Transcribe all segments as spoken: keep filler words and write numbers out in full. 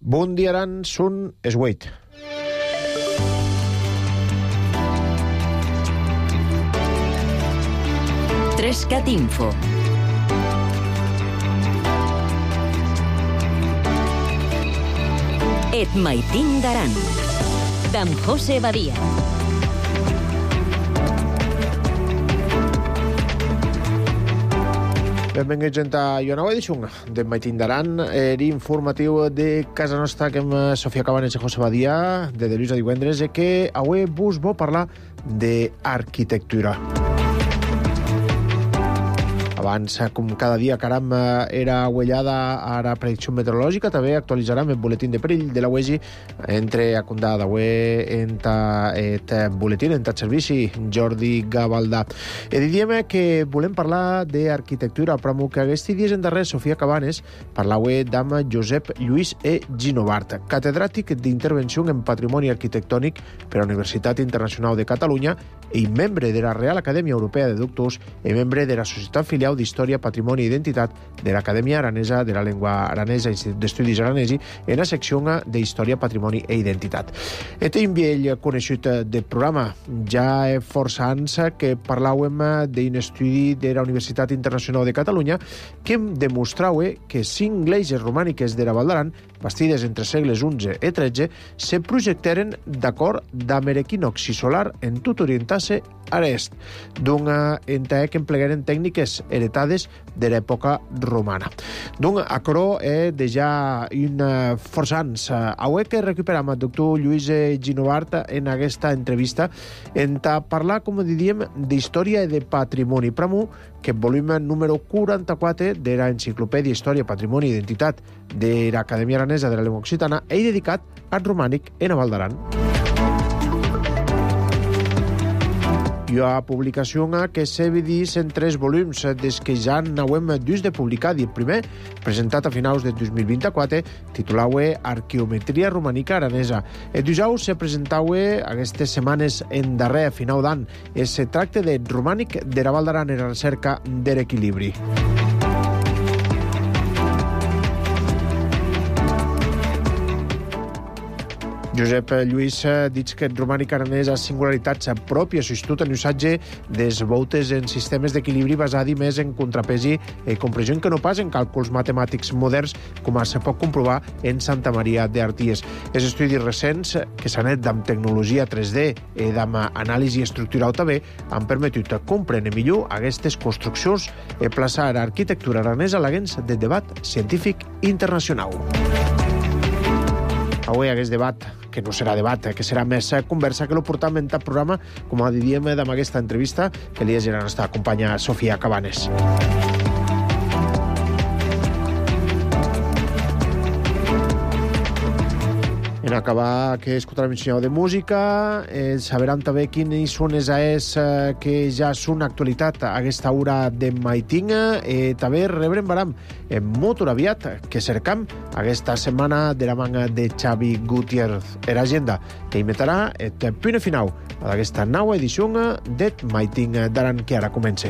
Bon dia, Aran, són es vuit. Trescat Info. Et maitin d'Aran, d'en José Badia. Benvinguts a una nova edició de Maitin d'Aran, l'informatiu de casa nostra, que amb Sofia Cabanes i José Badia, de dilluns a divendres, i que avui vos vol parlar d'arquitectura. Abans, com cada dia, caram, era uellada a la predicció meteorològica, també actualitzarem el boletín de perill de la U E S I entre a condà d'avui en el boletín, en el servici Jordi Gavaldà. I diríem que volem parlar d'arquitectura, però que aquests dies en darrer Sofia Cabanes parlava amb Josep Lluís E. Ginovart, catedràtic d'intervenció en patrimoni arquitectònic per a la Universitat Internacional de Catalunya i membre de la Real Acadèmia Europea de Doctors i membre de la Societat Filial d'Història, Patrimoni i Identitat de l'Acadèmia Aranesa de la Llengua Aranesa i d'Estudis Aranesi en la secció d'Història, Patrimoni i Identitat. Este vell coneixut del programa, ja força anys que parlàvem d'un estudi de la Universitat Internacional de Catalunya que demostrava que cinc gleses romàniques de la Val d'Aran, bastides entre segles onze i tretze, se projectaren d'acord amb l'equinoxi solar en tot orientar-se a l'est, d'un ente que emplegueren tècniques heretades de l'època romana. Donc, aquerò és de ja un força anys. Avui que recuperam el doctor Lluís Ginovart en aquesta entrevista en parlar, com diríem, d'història i de patrimoni. Pramo, que volum número quaranta-quatre de l'Enciclopèdia Història, Patrimoni i Identitat de l'Acadèmia Aranesa de la Llengua Occitana és dedicat al romànic en la Val d'Aran. Hi ha publicació que s'ha vist en tres volums des que ja n'hauem dus de publicar. El primer, presentat a finals de dos mil vint-i-quatre, titulava Arqueometria romànica aranesa. El dijous se presentava aquestes setmanes en darrer, a final d'any. Es tracta de romànic de la Val d'Aran en la recerca de l'equilibri. Josep Lluís dic que el romànic aranès ha singularitats pròpies, sobretot en l'usatge des voltes en sistemes d'equilibri basats més en contrapesi i compressió que no pas en càlculs matemàtics moderns, com se pot comprovar en Santa Maria d'Arties. Els estudis recents, que s'han fet amb tecnologia tres D i amb anàlisi estructural també, han permetut comprendre millor aquestes construccions i plaçar l'arquitectura aranesa a l'agens del debat científic internacional. Avui aquest debat, que no serà debat, que serà més conversa, que lo portam en tal programa, com diríem amb aquesta entrevista, que li és la nostra companya Sofia Cabanes. En acabar que escoltarem un senyal de música, eh, saberan també quins són els aes eh, que ja són actualitat a aquesta hora de Maitinga, i eh, també rebrem baram en molt aviat que cercam aquesta setmana de la manga de Xavi Gutiérrez. Era agenda que inventarà el punt final d'aquesta nova edició de Maitinga d'Aran, que ara comença.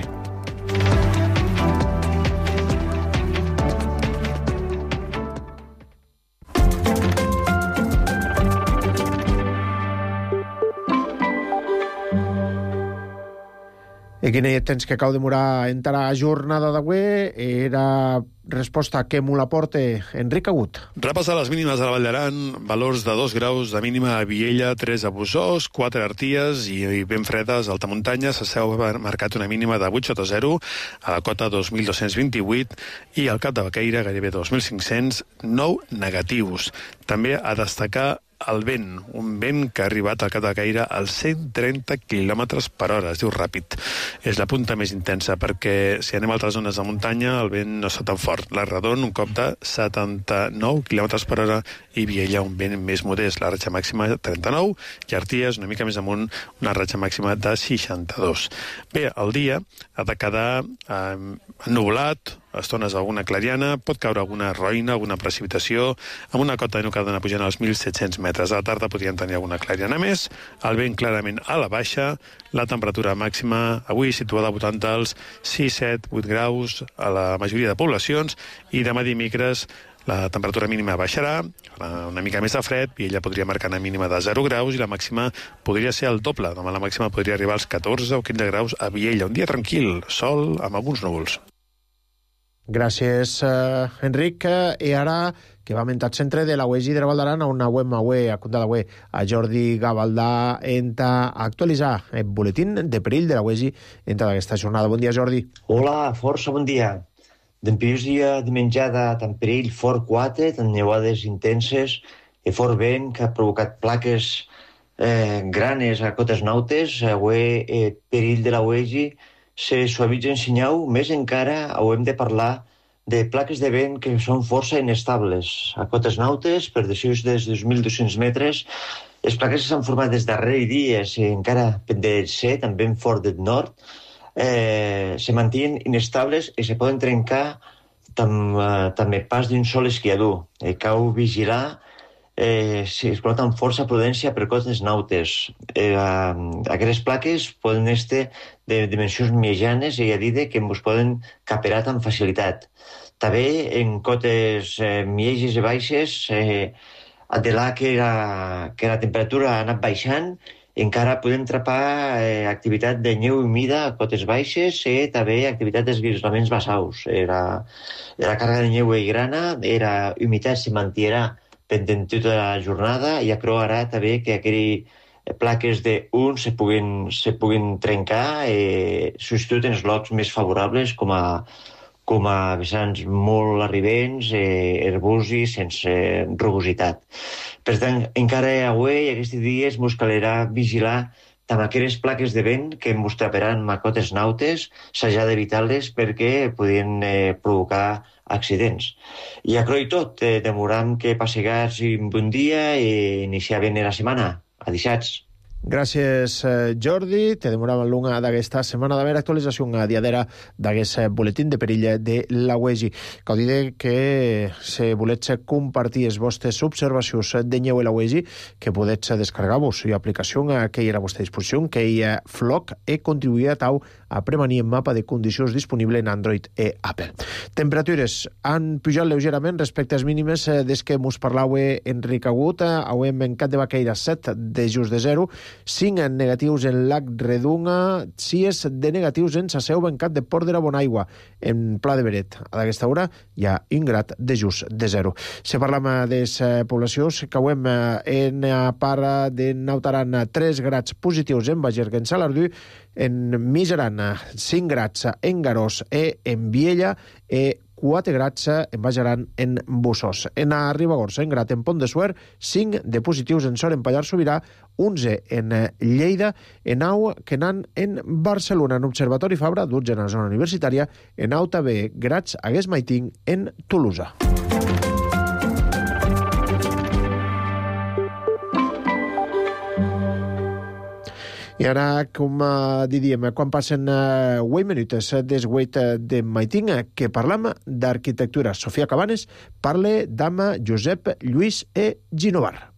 I quin temps que cau demorar entrar a jornada d'avui era resposta que m'ho la porta Enric Agut. Repassar les mínimes a la Vall d'Aran, valors de dos graus de mínima a Viella, tres a Bossòst, quatre a Arties i ben fredes a alta muntanya. S'ha marcat una mínima de vuit sota zero, a la cota dos mil dos-cents vint-i-vuit i al Cap de Baqueira gairebé dos mil cinc-cents, nou negatius. També a destacar el vent, un vent que ha arribat al Cap de Baqueira als cent trenta quilòmetres per hora, es diu ràpid. És la punta més intensa, perquè si anem a altres zones de muntanya el vent no està tan fort. La Redon, un cop de setanta-nou quilòmetres per hora, i Viella, un vent més modest, la ratxa màxima trenta-nou, i Arties, una mica més amunt, una ratxa màxima de seixanta-dos. Bé, el dia ha de quedar eh, ennuvolat, a estones alguna clariana, pot caure alguna roïna, alguna precipitació, amb una cota de nucada pujant als mil set-cents metres. A la tarda podrien tenir alguna clariana més, el vent clarament a la baixa, la temperatura màxima avui situada a voltant dels sis, set, vuit graus a la majoria de poblacions, i demà dimecres La temperatura mínima baixarà, una mica més de fred, i ella podria marcar una mínima de zero graus i la màxima podria ser el doble. Demà la màxima podria arribar als catorze o quinze graus a Viella. Un dia tranquil, sol amb alguns núvols. Gràcies, uh, Enric. I ara que va mentat centre de la U E G de la Val d'Aran on auem avui a contar d'avui a Jordi Gavaldà enta actualitzar el boletín de perill de la U E G enta d'aquesta jornada. Bon dia, Jordi. Hola, força bon dia. D'en primer dia de menjada tant perill fort quatre, tant nevades intenses i fort vent que ha provocat plaques eh, granes a cotes nautes. Avui eh, perill de la U E G se suavitza en senyau, més encara haurem de parlar de plaques de vent que són força inestables. A cotes nautes, per decisions des de dos mil dos-cents metres, les plaques que s'han format des darrere dies i encara de ser també fort del nord, eh, se mantenen inestables i se poden trencar tam, eh, també pas d'un sol esquiador. Eh, cal vigilar eh, si es col·loca amb força prudència per cotes nautes. Eh, aquestes plaques poden estar de dimensions mitjanes i a dir que ens poden caperar amb facilitat. També en cotes eh, mitjanes i baixes, eh, de là que la, que la temperatura ha anat baixant, encara podem trapar eh, activitat de neu humida a cotes baixes i també activitat d'esguislaments bassaus. La, la càrrega de neu i grana, la humitat se mantirà pendent tota la jornada i acroarà també que aquelles plaques d'un se puguin, se puguin trencar i substituir en els llocs més favorables com a, com a vessants molt arribents, eh, herbosi, sense rugositat. Per tant, encara avui, aquests dies, ens calerà vigilar amb aquelles plaques de vent que ens traparan a cotes nautes, s'hajà d'evitar-les perquè podien eh, provocar accidents. I a croi tot, eh, demoram que passegar un bon dia i iniciar bé la setmana. Adixats. Gràcies, Jordi. Te demoràvem l'una d'aquesta setmana d'haver actualització a diadera d'aquest boletín de perill de la U E G. Cal dir que si volets compartir les vostres observacions de neu a la U E G, que podets descarregar-vos l'aplicació que hi ha a la vostra disposició, que hi ha Floc, i contribuir a tau a premanir el mapa de condicions disponible en Android i Apple. Temperatures han pujat lleugerament respecte als mínimes des que mos parlava Enric Agut. Auem en Cap de Baqueira set de just de zero, cinc negatius en Lac Redunga, sis de negatius en Saseu, en Cap de Port de la Bonaigua, en Pla de Beret. A aquesta hora hi ha un grad de just de zero. Si parlam de les poblacions, que auem en part de Nautaran tres grads positius en Bagergue, en Salardú, en Miseran cinc grads en Garós i en Viella, i quatre grads en Bajaran en Bussos. En a Ribagorça, en Grat, en Pont de Suert, cinc de positius en Sor, en Pallars Sobirà, onze en Lleida, en Au, Quenan, en Barcelona, en Observatori Fabra, dotze en la zona universitària, en Au també grads a Guesmaiting, en Tolosa. I ara, com diríem, quan passen vuit minuts des vuit de maiting, que parlam d'arquitectura. Sofia Cabanes parla d'ama Josep Lluís e Ginovar.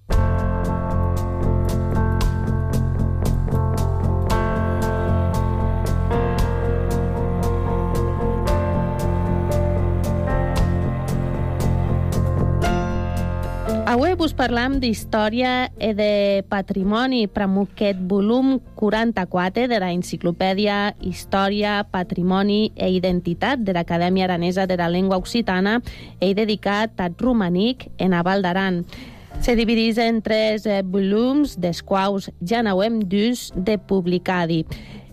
Avui vos parlam d'història i de patrimoni, però amb aquest volum quaranta-quatre de la enciclopèdia Història, Patrimoni i Identitat de l'Acadèmia Aranesa de la Llengua Occitana he dedicat al romànic en a Val d'Aran. Se divideix en tres volums, dels quals ja n'hauem dus de publicar-hi.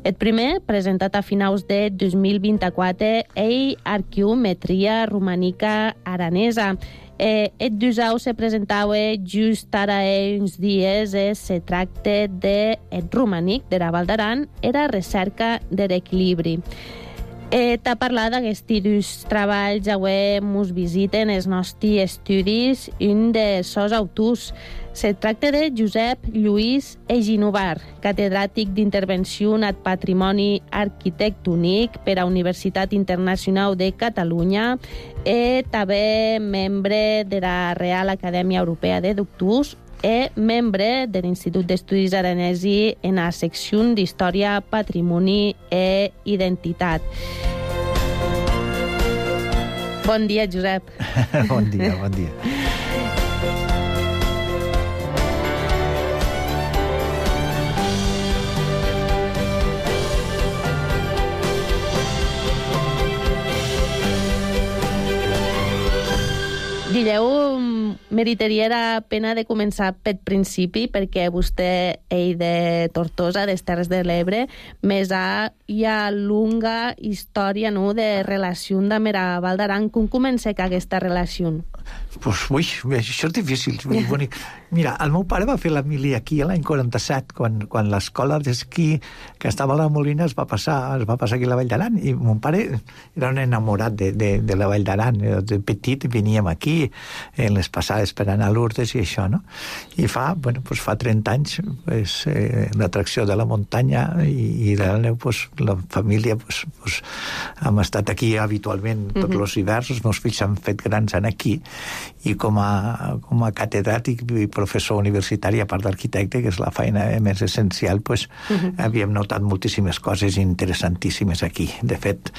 El primer, presentat a finals de dos mil vint-i-quatre, és Arqueometria Romànica Aranesa. Eh, el dusau se presentava just ara uns dies. Eh, se tracta de el romànic de la Val d'Aran, era recerca de l'equilibri. Eh, T'ha parlat d'aquests dos treballs, avui mos visiten els nostres estudis un de sos autors. Se tracta de Josep Lluís e Ginovar, catedràtic d'intervenció en el patrimoni arquitectònic per a Universitat Internacional de Catalunya i també membre de la Real Acadèmia Europea de Doctors i membre de l'Institut d'Estudis Aranesi en la secció d'Història, Patrimoni i Identitat. Bon dia, Josep. Bon dia, bon dia. Dilleu, meritaria la pena de començar pel principi, perquè vostè, ell de Tortosa, des Terres de l'Ebre, més ha, hi ha longa història, no?, de relació amb la Val d'Aran. Com comença aquesta relació? Pues, ui, això és difícil, és molt bonic. Mira, el meu pare va fer la mili aquí l'any quaranta-set, quan, quan l'escola d'esquí que estava a la Molina es va passar, es va passar aquí a la Vall d'Aran, i mon pare era un enamorat de, de, de la Vall d'Aran. De petit veníem aquí, en les passades per anar a Lourdes i això, no? I fa, bueno, pues fa trenta anys, pues, eh, l'atracció de la muntanya i, i de la neu, pues, la família, pues, pues, hem estat aquí habitualment tots mm-hmm. els hiverns, els meus fills s'han fet grans en aquí, i com a, com a catedràtic i professor universitari, a part d'arquitecte, que és la feina més essencial, pues, uh-huh. havíem notat moltíssimes coses interessantíssimes aquí. De fet,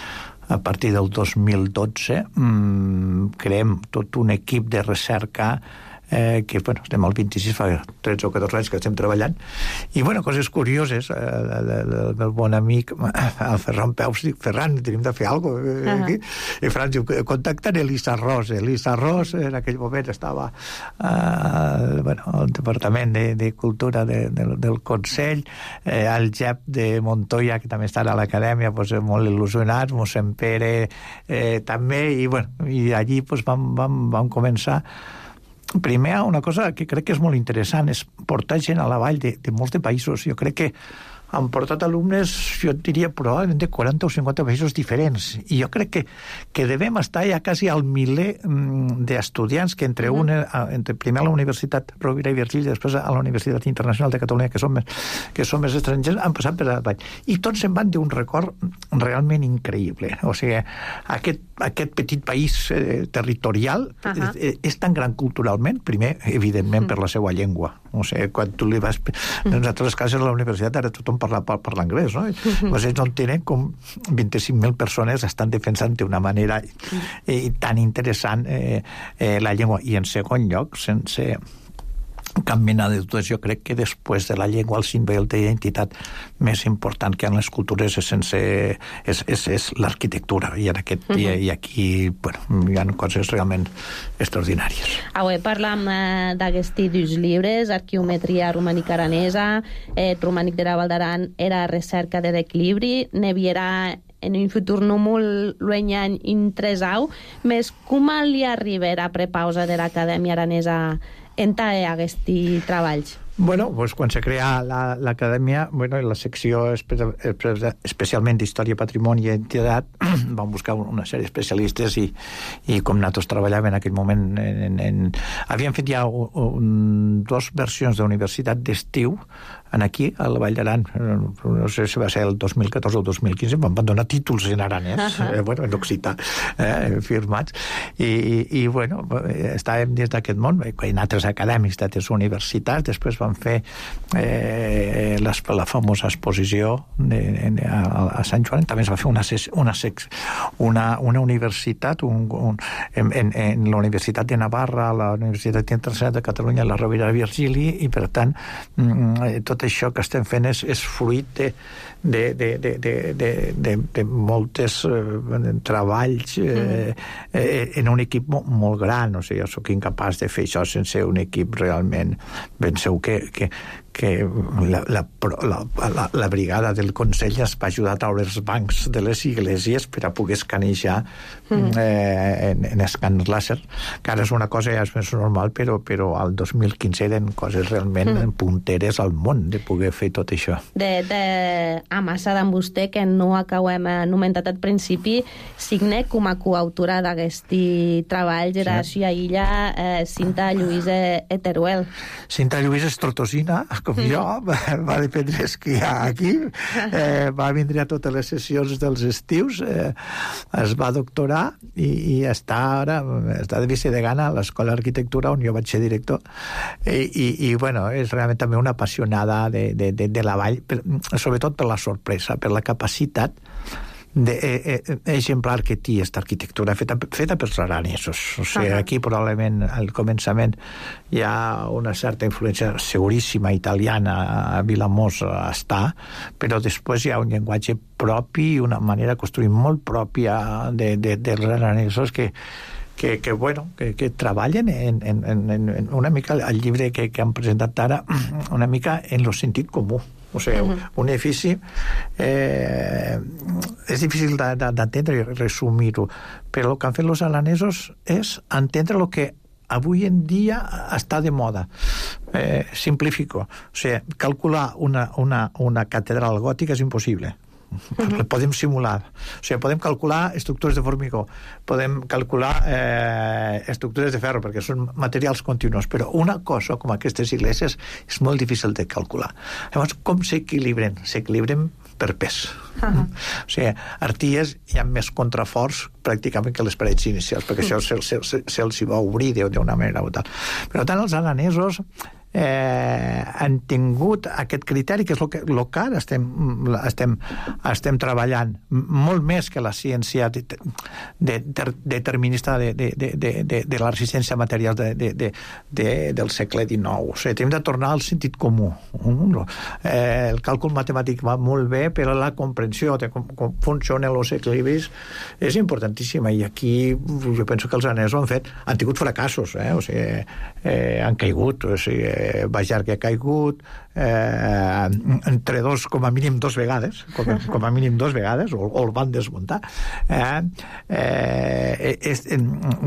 a partir del dos mil dotze mmm, creem tot un equip de recerca eh, que, bueno, estem al vint-i-sis, fa tretze o catorze anys que estem treballant, i, bueno, coses curioses. Eh, el, el meu bon amic, el Ferran Peus, dic, Ferran, tenim de fer alguna cosa eh, aquí. Uh-huh. I Ferran diu, contacten Elisa Ros. Elisa Ros, en aquell moment, estava eh, bueno, al Departament de, de Cultura de, de, del Consell, eh, el Jep de Montoya, que també està a l'acadèmia, pues, molt il·lusionats, mossèn Pere eh, també, i, bueno, i allí pues, vam, vam, vam començar. Primer, una cosa que crec que és molt interessant és portar gent a la vall de, de molts de països. Jo crec que han portat alumnes, jo diria, probablement de quaranta o cinquanta països diferents. I jo crec que, que devem estar ja quasi al miler d'estudiants que entre, mm. una, entre primer a la Universitat Rovira i Virgili i després a la Universitat Internacional de Catalunya, que són més, que són més estrangers, han passat per la vall. I tots se'n van d'un record realment increïble. O sigui, aquest, aquest petit país eh, territorial uh -huh. és, és tan gran culturalment, primer, evidentment, mm. per la seva llengua. O sigui, quan tu li vas... Mm. En altres casos a la universitat ara tothom parla, parla anglès, no? Mm-hmm. Pues ells no tenen com vint-i-cinc mil persones estan defensant d'una manera eh, tan interessant eh, eh, la llengua. I en segon lloc, sense cap mena de dubtes, jo crec que després de la llengua el símbol d'identitat més important que en les cultures és, sense, és, és, és l'arquitectura, i, en aquest, uh-huh. i, i aquí bueno, hi ha coses realment extraordinàries. Avui parlam eh, d'aquests dos llibres, Arqueometria romànica aranesa, eh, Romànic de la Val d'Aran, era recerca de l'equilibri, ne viurà en un futur no molt llunyà intresau, més com li arribarà a prepausa de l'Acadèmia Aranesa en aquests treballs? Bueno, pues quan se crea l'Acadèmia, bueno, la secció espe especialment d'Història, Patrimoni i Identitat, vam buscar una sèrie d'especialistes i, i com nosaltres treballàvem en aquell moment, en, en... havíem fet ja un, un, dos versions d'universitat d'estiu en aquí, a la Vall d'Aran, no sé si va ser el dos mil catorze o el dos mil quinze, vam donar títols en aranès, uh-huh. eh, bueno, en occità, eh, firmats, i, i, i bueno, estàvem dins d'aquest món, en altres acadèmics d'altres universitats, després vam fer eh, les, la famosa exposició de, de, a, a Sant Joan, també es va fer una, una, una, una universitat, un, un, en, en, en la Universitat de Navarra, la Universitat Internacional de Catalunya, la Rovira i Virgili, i per tant, tot això que estem fent és, és fruit de, de, de, de, de, de, de, de moltes eh, treballs eh, eh, en un equip molt, molt gran. O sigui, jo soc incapaç de fer això sense un equip realment. Penseu que, que, que la, la, la, la, la brigada del Consell es va ajudar a treure els bancs de les iglesias per a poder escanejar mm. eh, en, en escàner làser, que ara és una cosa ja és més normal, però, però al dos mil quinze eren coses realment mm. punteres al món de poder fer tot això. De, de amassada amb vostè, que no acabem anomenat al principi, signe com a coautora d'aquest treball, Geració sí. Illa, eh, Cinta Lluïsa Eteruel. Cinta Lluïsa és tortosina, com jo, va aprendre a esquiar aquí, eh, va vindre a totes les sessions dels estius, eh, es va doctorar i, i està ara, està de vicedegana a l'Escola d'Arquitectura, on jo vaig ser director, i, i, i bueno, és realment també una apassionada de, de, de, de la vall, per, sobretot per la sorpresa, per la capacitat de, eh, eh, exemplar que té aquesta arquitectura feta, feta pels aranesos. O sigui, uh-huh. aquí probablement al començament hi ha una certa influència seguríssima italiana, a Vilamós està, però després hi ha un llenguatge propi i una manera de construir molt pròpia de, de, dels aranesos que Que, que, bueno, que, que treballen en, en, en, en una mica el llibre que, que han presentat ara, una mica en el sentit comú. O sigui, uh-huh. un edifici eh, és difícil d'entendre i resumir-ho, però el que han fet els alanesos és entendre el que avui en dia està de moda. Eh, simplifico. O sigui, calcular una, una, una catedral gòtica és impossible. Uh-huh. Podem simular, o sigui, podem calcular estructures de formigó, podem calcular eh, estructures de ferro, perquè són materials continus, però una cosa com aquestes igleses és molt difícil de calcular. Llavors, com s'equilibren? S'equilibren per pes. Uh-huh. O sigui, arties hi ha més contraforts pràcticament que les parets inicials, perquè uh-huh. això se'ls se, se, se va obrir d'una manera o tal. Però tant els alanesos eh, han tingut aquest criteri, que és el que, lo que ara estem, estem, estem treballant, molt més que la ciència de, de, de, determinista de, de, de, de, de, de la resistència a materials de, de, de, de, del segle dinou. O sigui, hem de tornar al sentit comú. Eh, el càlcul matemàtic va molt bé, però la comprensió de com, com funcionen els equilibris és importantíssima, i aquí jo penso que els anesos han fet, han tingut fracassos, eh? O sigui, eh, han caigut, o sigui, Bajar que ha caigut eh, entre dos, com a mínim dos vegades, com a, com a mínim dos vegades, o, o el van desmuntar. Eh, eh, és,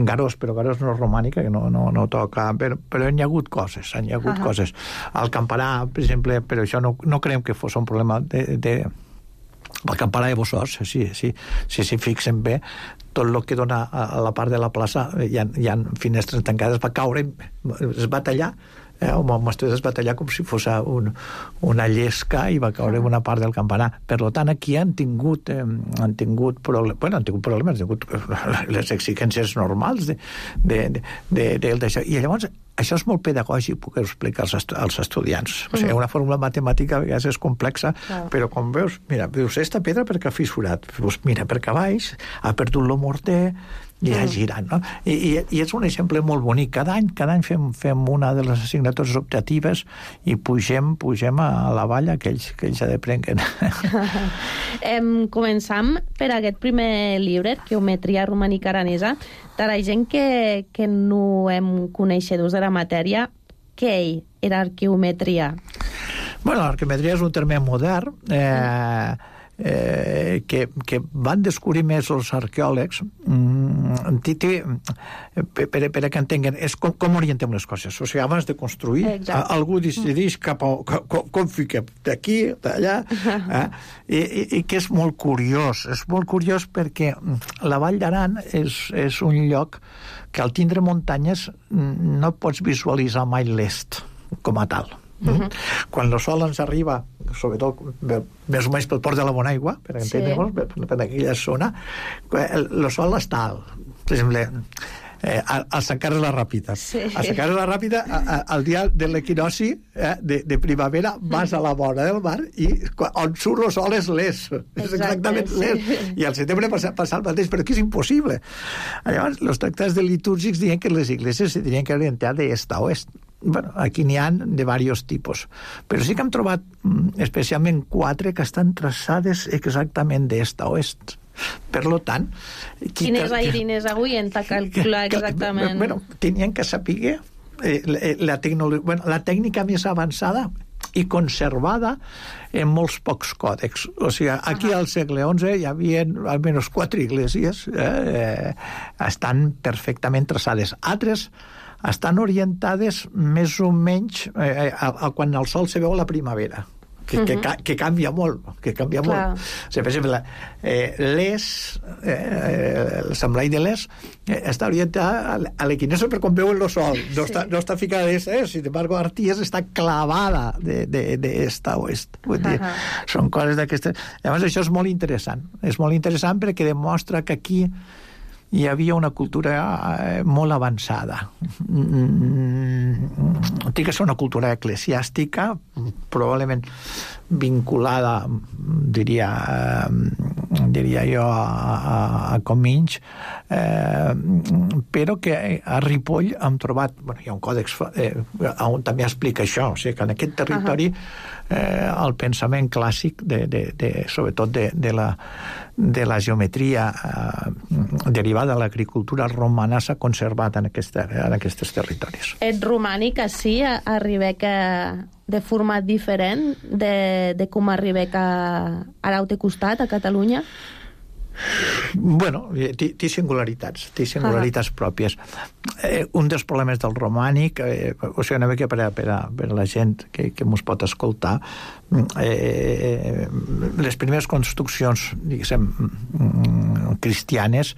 Garós, però Garós no és romànica, que no, no, no toca, però, però hi ha hagut coses, hi ha hagut uh-huh. coses. Al Campanà, per exemple, però això no, no creiem que fos un problema de... de el Campanà de Bossòs, sí, sí, si s'hi fixen bé, tot el que dona a la part de la plaça hi ha, hi ha finestres tancades, va caure, es va tallar, eh, o m'estudiat es va tallar com si fos un, una llesca, i va caure una part del campanar. Per tant, aquí han tingut eh, han tingut problemes, bueno, han tingut problemes, han tingut les exigències normals de, de, de, de, de, d'això. I llavors això és molt pedagògic, puc explicar als, estu als estudiants. O sigui, una fórmula matemàtica a vegades és complexa, claro. Però com veus, mira, veus esta pedra perquè ha fissurat, veus, mira, perquè a baix ha perdut el morter i ha girat, no? I, i, i és un exemple molt bonic. Cada any, cada any fem, fem una de les assignatures optatives i pugem, pugem a la valla que ells, que ells aprenguen. em, començam per aquest primer llibre, Arqueometria romànica aranesa. Per a gent que, que no hem coneixedors de la matèria, què era arqueometria? Bueno, l'arqueometria és un terme modern eh, eh, que, que van descobrir més els arqueòlegs mm, té, per, per que entenguen és com, com orientem les coses. O sigui, abans de construir, a, algú decideix cap a, com, com fiquem d'aquí, d'allà, eh? I, i, i que és molt curiós. És molt curiós perquè la Vall d'Aran és, és un lloc que al tindre muntanyes no pots visualitzar mai l'est com a tal. Uh-huh. Quan el sol ens arriba, sobretot més o menys pel port de la Bonaigua, per entendre-nos, sí. per, per aquella zona, el, el sol està alt. Per exemple, eh, al Sant Carles la Ràpida. Sí. A Sant Carles la Ràpida, a, a, al dia de l'equinoci eh, de, de primavera, vas a la vora del mar i on surt el sol és l'est. És exactament sí. l'est. I al setembre passa, passa el mateix, però aquí és impossible. Llavors, els tractats de litúrgics diuen que les igleses se tenien que orientar d'est a oest. Bueno, aquí n'hi ha de diversos tipus, però sí que hem trobat especialment quatre que estan traçades exactament d'est a oest. Per lo tant... Quines airines avui en ta calcular exactament? Bueno, tenien que saber eh, la, tecnologia, bueno, la tècnica més avançada i conservada en molts pocs còdecs. O sigui, aquí al segle onze hi havia almenys quatre iglesies eh, estan perfectament traçades. Altres estan orientades més o menys eh, a, a quan el sol se veu a la primavera, que, uh-huh. que, que canvia molt, que canvia Clar. molt. O sigui, per exemple, eh, l'Es, eh, el semblai de l'Es, eh, està orientat a l'equinocci per quan veuen el sol, no, sí. està, no està ficada d'est, eh? Sin embargo, Arties està clavada de, de, de est a oest. Vull dir, uh-huh. són coses d'aquestes... Llavors, això és molt interessant. És molt interessant perquè demostra que aquí hi havia una cultura eh, molt avançada. Mm, té que ser una cultura eclesiàstica, probablement vinculada, diria, diria jo, a, a, a Comins, eh, però que a Ripoll hem trobat, bueno, hi ha un còdex eh, on també explica això, o sigui que en aquest territori eh, el pensament clàssic, de, de, de, sobretot de, de, la, de la geometria eh, derivada de l'agricultura romana, s'ha conservat en, aquesta, en aquests territoris. Et romànic, així, arribec a de format diferent de, de com arribec a, a l'altre costat, a Catalunya? Bueno, té singularitats, té singularitats pròpies. Eh, un dels problemes del romànic, eh, o sigui, una mica per a, per a, per a la gent que, que mos pot escoltar, eh, les primeres construccions, diguéssim, cristianes,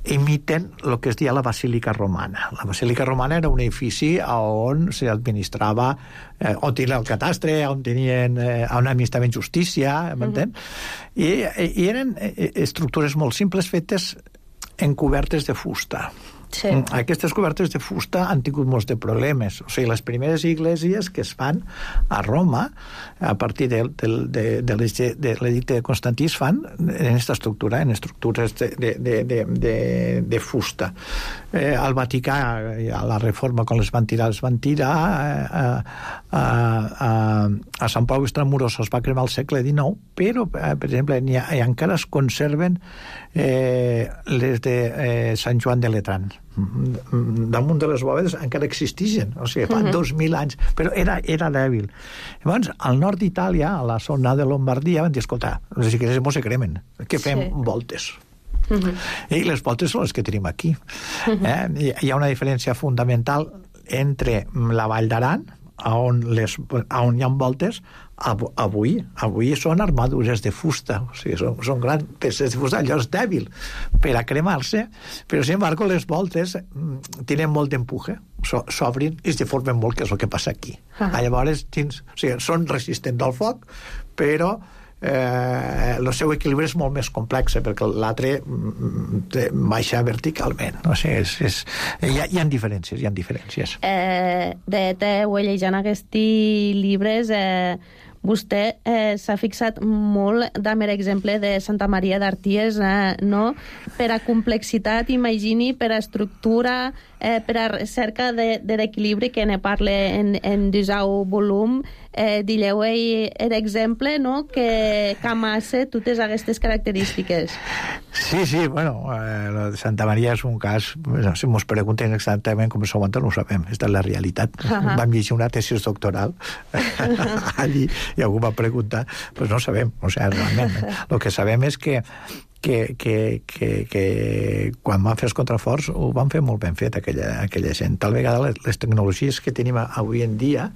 imiten el que es deia la Basílica Romana. La Basílica Romana era un edifici on s'administrava, eh, on tenia el catastre, on tenien, eh, on administraven justícia, m'entén? Uh-huh. I, I eren estructures molt simples fetes en cobertes de fusta. Sí. Aquestes cobertes de fusta han tingut molts de problemes. O sigui, les primeres iglesias que es fan a Roma, a partir de, de, de, de l'edicte de Constantí, es fan en aquesta estructura, en estructures de, de, de, de, de fusta. Eh, al Vaticà, a la Reforma, quan les van tirar, les van tirar. A, a, a, a Sant Pau Extramuros es va cremar al segle dinou, però, eh, per exemple, hi ha, encara es conserven eh, les de eh, Sant Joan de Letrán. Damunt de les bòvedes encara existeixen, o sigui, fa uh-huh. dos mil anys, però era, era dèbil. Llavors, al nord d'Itàlia, a la zona de Lombardia, van dir, escolta, les iglesias no se cremen, que fem sí. voltes. Uh-huh. I les voltes són les que tenim aquí. Uh-huh. Eh? Hi ha una diferència fundamental entre la Vall d'Aran, on, les, on hi ha voltes, avui, avui són armadures de fusta, o sigui, són, són grans peces de fusta, allò és dèbil per a cremar-se, però sin embargo les voltes tenen molt d'empuje, s'obrin i se formen molt, que és el que passa aquí. Ah. Llavors, tins, o sigui, són resistents al foc, però eh, el seu equilibri és molt més complex, perquè l'altre baixa verticalment. O sigui, és, és, hi, ha, hi ha diferències, hi ha diferències. Eh, de te ho he llegit en aquests llibres, eh, vostè eh, s'ha fixat molt amb l'exemple de Santa Maria d'Arties, eh, no? Per a complexitat, imagini, per a estructura, eh, per a recerca de, de l'equilibri que ne parle en, en disau volum, eh, dilleu l'exemple, no?, que, que amassa totes aquestes característiques. Sí, sí, bueno, eh, Santa Maria és un cas, no, si mos pregunten exactament com s'aguanta, no ho sabem, aquesta és la realitat. Uh-huh. Vam llegir una tesis doctoral allí i algú va preguntar, doncs pues no sabem, o sigui, realment. El que sabem és que que, que, que, que quan van fer els contraforts ho van fer molt ben fet aquella, aquella gent. Tal vegada les, les tecnologies que tenim avui en dia,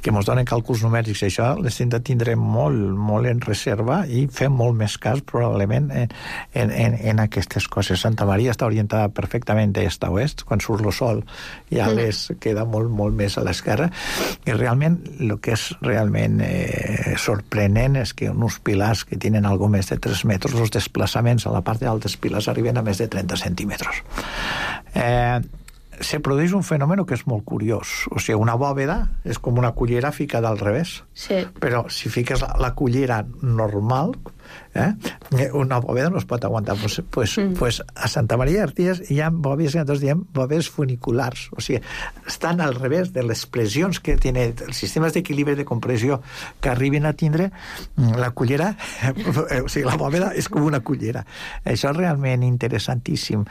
que ens donen càlculs numèrics, això les hem de tindre molt, molt en reserva i fer molt més cas probablement en, en, en, en aquestes coses. Santa Maria està orientada perfectament d'est a oest, quan surt el sol ja mm. les queda molt, molt més a l'esquerra, i realment el que és realment eh, sorprenent és que uns pilars que tenen algo més de tres metres, els desplaçaments a la part d'altes piles arriben a més de trenta centímetres. Eh, se produeix un fenomen que és molt curiós. O sigui, una bòveda és com una cullera ficada al revés. Sí. Però si fiques la, la cullera normal, eh, una bòveda no es pot aguantar. Pues, pues, mm. pues a Santa Maria d'Arties hi ha bòvedes que nosaltres diem bòvedes funiculars. O sigui, estan al revés de les pressions que tiene els sistemes d'equilibri de compressió que arriben a tindre la cullera, o sigui, la bòveda és com una cullera. Això és realment interessantíssim.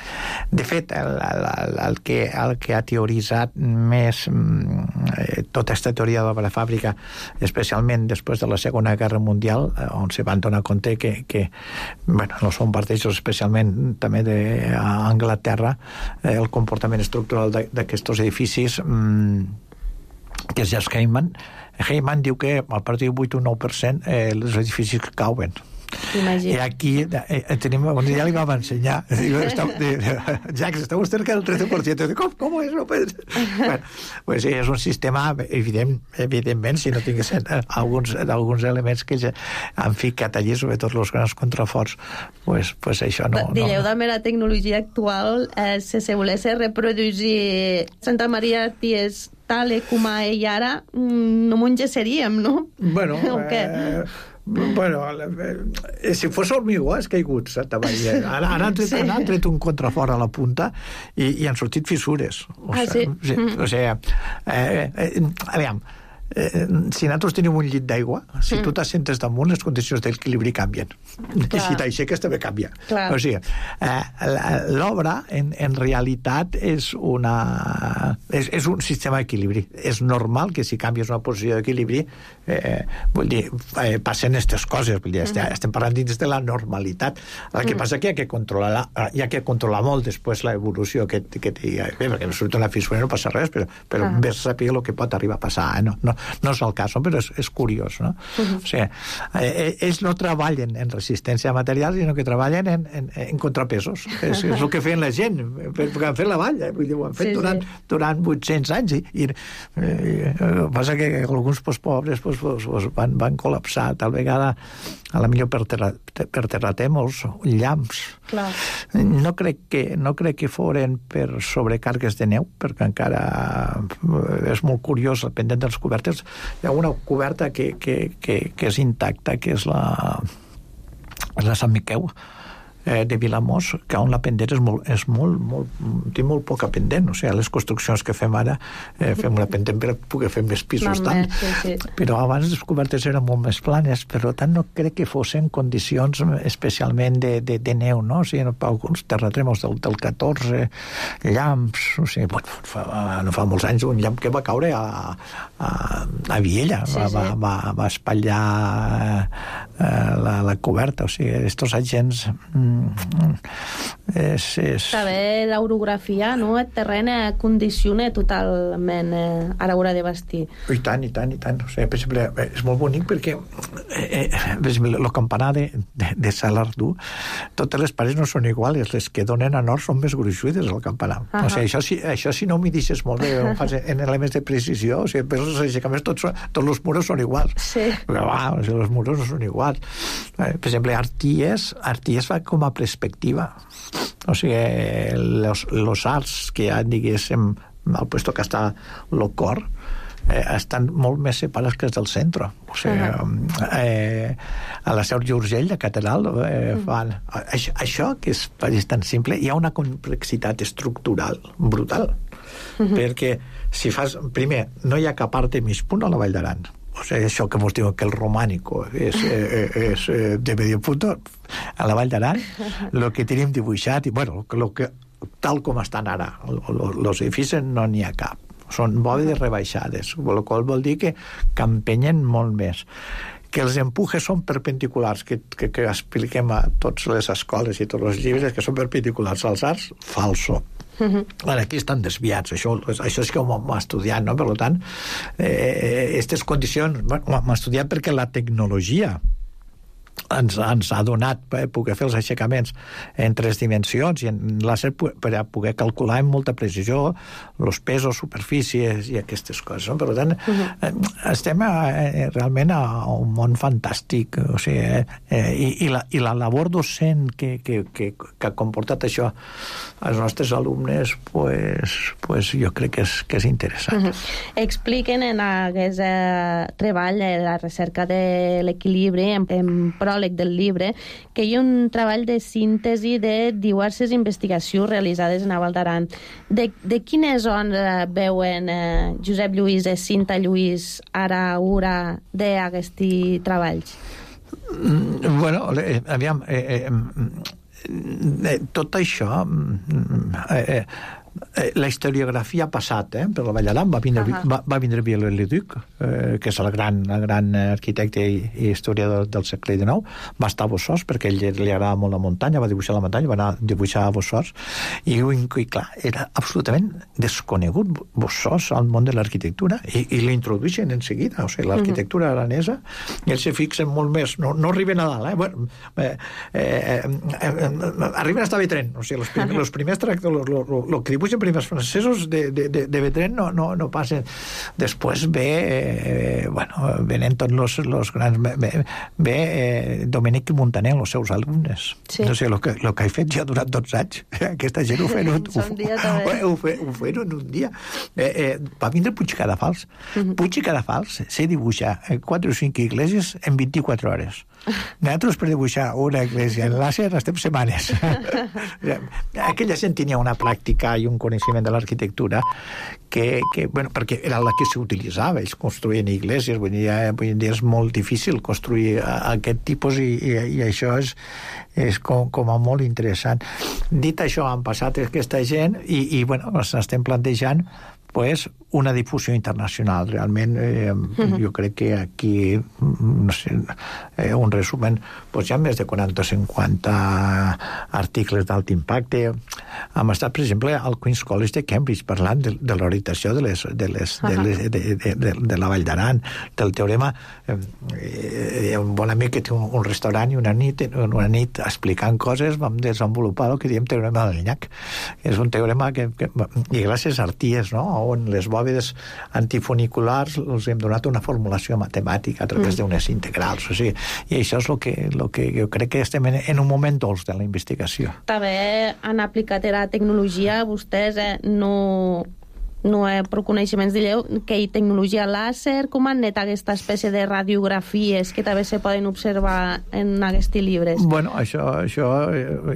De fet, el, el, el, que, el que ha teoritzat més eh, tota aquesta teoria de la fàbrica, especialment després de la Segona Guerra Mundial, on se van donar compte que, que bueno, no són parteixos especialment també d'Anglaterra, eh, el comportament estructural d'aquests edificis, mmm, que és Just Heyman. Heyman diu que a partir del vuit o nou per cent eh, els edificis que cauen. Imagina. I aquí eh, tenim, ja li vam ensenyar, Jacques, està vostè cerca del trece per cent. Com, com és? No puede ser. Bueno, pues sí, és un sistema, evident, evidentment, si no tinguessin alguns, alguns elements que ja han ficat allí, sobretot els grans contraforts, pues, pues això no... Dilleu no. també la tecnologia actual, eh, si se volés reproduir Santa Maria d'Arties tal com ell ara, no m'ho engesaríem, no? Bueno, eh, Bueno, eh, si fos hormigó has caigut, Santa Maria. Ara, ara han, tret, sí. han tret un contrafort a la punta i, i han sortit fissures. O ah, sea, sí? O sigui, mm. o sigui eh, eh, aviam, Eh, si nosaltres tenim un llit d'aigua, si mm. tu t'assentes damunt, les condicions d'equilibri canvien. Clar. I si t'aixeques també canvia. Clar. O sigui, eh, l'obra en, en realitat és una és, és un sistema d'equilibri. És normal que si canvies una posició d'equilibri eh, vull dir, eh, passen aquestes coses. Vull dir, mm. estem, estem parlant dins de la normalitat. El que mm. passa que hi ha que controlar la, hi ha que controlar molt després l'evolució que, que té, bé, perquè no surt una fissura no passa res, però, però ah. ves saber el que pot arribar a passar, eh? no, no no és el cas, però és, és curiós, no? Uh-huh. O sigui, eh, ells no treballen en resistència a materials, sinó que treballen en, en, en contrapesos. És, és el que feien la gent, perquè han fet la vall, eh? Vull dir, ho han fet sí, durant, sí. durant vuit-cents anys, i, i eh, passa que alguns pues, pobres pues, pues, pues, van, van col·lapsar, tal vegada a la millor per, terra, per terratèmols, llamps. Clar. No crec que, no crec que foren per sobrecargues de neu, perquè encara és molt curiós, pendent dels cobertes. Hi ha una coberta que, que, que, que és intacta, que és la, la Sant Miquel, eh, de Vilamós, que on la pendent és molt, és molt, molt, té molt poca pendent. O sigui, les construccions que fem ara, eh, fem una pendent per poder fer més pisos tant. Sí, sí. Però abans les cobertes eren molt més planes, per tant no crec que fossin condicions especialment de, de, de neu, no? O sigui, alguns terratrèmols del, del catorze, llamps, o sigui, bueno, fa, no fa molts anys un llamp que va caure a, a, a Viella, sí, va, sí. Va, va, va espatllar eh, la, la coberta, o sigui, estos agents és, és... També l'orografia, no? El terreny condiciona totalment eh, a l'hora de vestir. I tant, i tant, i tant. O sigui, per exemple, és molt bonic perquè eh, eh, per exemple, el campanar de, de, de Salardú, totes les parets no són iguals, les que donen a nord són més gruixudes al campanar. Uh -huh. O sigui, això, si, això si no m'hi deixes molt bé, ho fas en elements de precisió, o sigui, per els aixecaments tots, tots els murs són iguals. Sí. Però, va, o sigui, els murs no són iguals. Per exemple, Arties, Arties fa com a perspectiva. O sigui, los, los arts que hi ha, diguéssim, al puesto que està el cor, eh, estan molt més separats que els del centre. O sigui, uh-huh. eh, a la Seu d'Urgell, a Catedral, eh, uh-huh. fan... Això, això, que és, és tan simple, hi ha una complexitat estructural brutal. Uh-huh. Perquè si fas... Primer, no hi ha cap art de mig punt a la Vall d'Aran. O sigui, això que ens diuen que el romànico és, eh, és eh, de medio punto, a la Vall d'Aran, el que tenim dibuixat, i bueno, lo que, tal com estan ara, els edificis no n'hi ha cap. Són bòvedes rebaixades, el qual vol dir que campenyen molt més. Que els empujes són perpendiculars, que, que, que expliquem a totes les escoles i tots els llibres que són perpendiculars als arcs, falso. Uh-huh. Ara, aquí estan desviats, això, això és que ho hem estudiat, no? Per tant, eh, aquestes condicions, bueno, ho hem estudiat perquè la tecnologia ens, ens ha donat per poder fer els aixecaments en tres dimensions i en làser per a poder calcular amb molta precisió els pesos, superfícies i aquestes coses. No? Per tant, uh-huh. estem a, realment a un món fantàstic, o sigui, eh, i, i, la, i la labor docent que, que, que, que ha comportat això als nostres alumnes, pues, pues jo crec que és, que és interessant. Uh-huh. Expliquen en aquest eh, treball de la recerca de l'equilibri en, en pròleg del llibre que hi ha un treball de síntesi de diverses investigacions realitzades en la Val d'Aran. De, de quines zones veuen eh, Josep Lluís i Cinta Lluís ara ura d'aquests treballs? Mm, bueno, eh, aviam, eh, eh, eh, tot això eh, eh, la historiografia ha passat eh, per la Vall d'Aran. Va vindre, uh-huh. va, va vindre Viollet-le-Duc, eh, que és el gran, el gran arquitecte i, i historiador del segle dinou. Va estar a Bossòs perquè ell li agrada molt la muntanya, va dibuixar la muntanya, va anar a dibuixar a Bossòs i, i clar, era absolutament desconegut Bossòs al món de l'arquitectura i, i l'introdueixen en seguida, o sigui, l'arquitectura uh-huh. aranesa, i ells se fixen molt més, no, no arriben a dalt, eh? Bueno, eh, eh, eh, eh, arriben a estar bé tren, o sigui, els primers, uh-huh. els primers tractors, el que pugen primers francesos de, de, de, de Betren no, no, no passen. Després ve eh, bueno, venen tots los, los grans ve, ve eh, Domènec Montaner, els seus alumnes. Sí. No sé, el que, lo que he fet ja durant dotze anys. Aquesta gent ho feien un, ho, ho, ho feien un dia. Eh, eh, va vindre Puig Cadafalç. Uh-huh. Puig Cadafalç sé dibuixar quatre o cinc iglesias en vint-i-quatre hores. Nosaltres per dibuixar una església en làser estem setmanes. Aquella gent tenia una pràctica i un coneixement de l'arquitectura que, que bueno, perquè era la que s'utilitzava. Ells construïen iglesias, vull dir, avui en dia és molt difícil construir aquest tipus i, i, i això és, és com, com a molt interessant. Dit això, han passat aquesta gent i, i bueno, ens estem plantejant pues, una difusió internacional. Realment, eh, uh-huh. jo crec que aquí, no sé, eh, un resumen, pues, hi ha més de quaranta o cinquanta articles d'alt impacte. Hem estat, per exemple, al Queen's College de Cambridge parlant de, de l'orientació de, les, de, les, uh-huh. de, les, de, de, de, de la Vall d'Aran, del teorema. Eh, hi ha un bon amic que té un, un restaurant i una nit, una nit explicant coses vam desenvolupar el que diem teorema del Llac. És un teorema que, que i gràcies a Arties, no?, on les bòvedes antifuniculars els hem donat una formulació matemàtica a través mm. d'unes integrals. O sigui, i això és el que, lo que jo crec que estem en, en un moment dolç de la investigació. També han aplicat la tecnologia, vostès eh, no, no he prou coneixements d'allò, que hi tecnologia làser, com han net aquesta espècie de radiografies que també se poden observar en aquests llibres? Bueno, això, això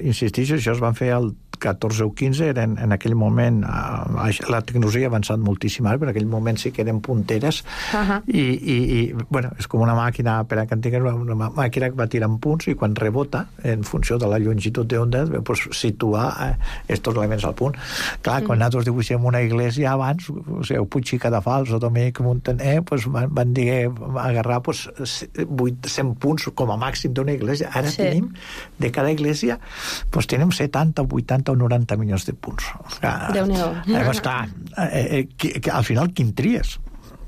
insistixo, això es van fer al catorze o quinze, eren, en aquell moment eh, la tecnologia ha avançat moltíssim, però en aquell moment sí que eren punteres uh-huh. i, i, i bueno, és com una màquina per a que tingués una màquina que va tirant punts i quan rebota, en funció de la longitud d'onda, pues, situar estos elements al punt. Clar, quan uh-huh. nosaltres dibuixem una església abans, o sigui, Puig i Cadafalç o Domènec Montaner, pues, van, van dir agarrar pues, cent punts com a màxim d'una església. Ara sí. tenim, de cada església, pues, tenim setanta, vuitanta o noranta milions de punts. Déu-n'hi-do. Llavors, clar, eh, eh, que, que al final quin tries?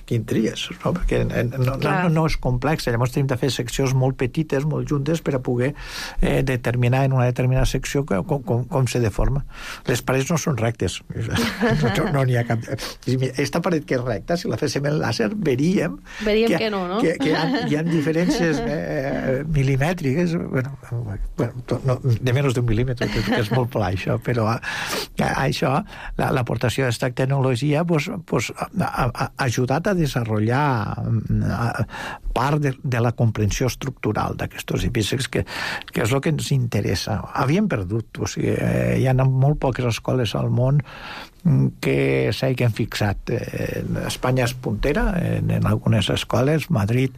Quin tries? No? Perquè no, no, no, no és complex. Llavors tenim de fer seccions molt petites, molt juntes, per a poder eh, determinar en una determinada secció com, com, com se deforma. Les parets no són rectes. No, no n'hi ha cap... Esta paret que és recta, si la féssim en làser, veríem... Veríem que, que no, no? Que, que hi, ha, hi ha diferències eh, milimètriques, bueno, bueno, no, de menys d'un mil·límetre, que, que és molt pla, això, però a, a, això, l'aportació d'aquesta tecnologia pues, pues, ha, ha ajudat a desenvolupar part de, de la comprensió estructural d'aquests edificis, que, que és el que ens interessa. Havíem perdut, o sigui, eh, hi ha molt poques escoles al món que s'hagin fixat. Eh, Espanya és puntera en, en algunes escoles. Madrid,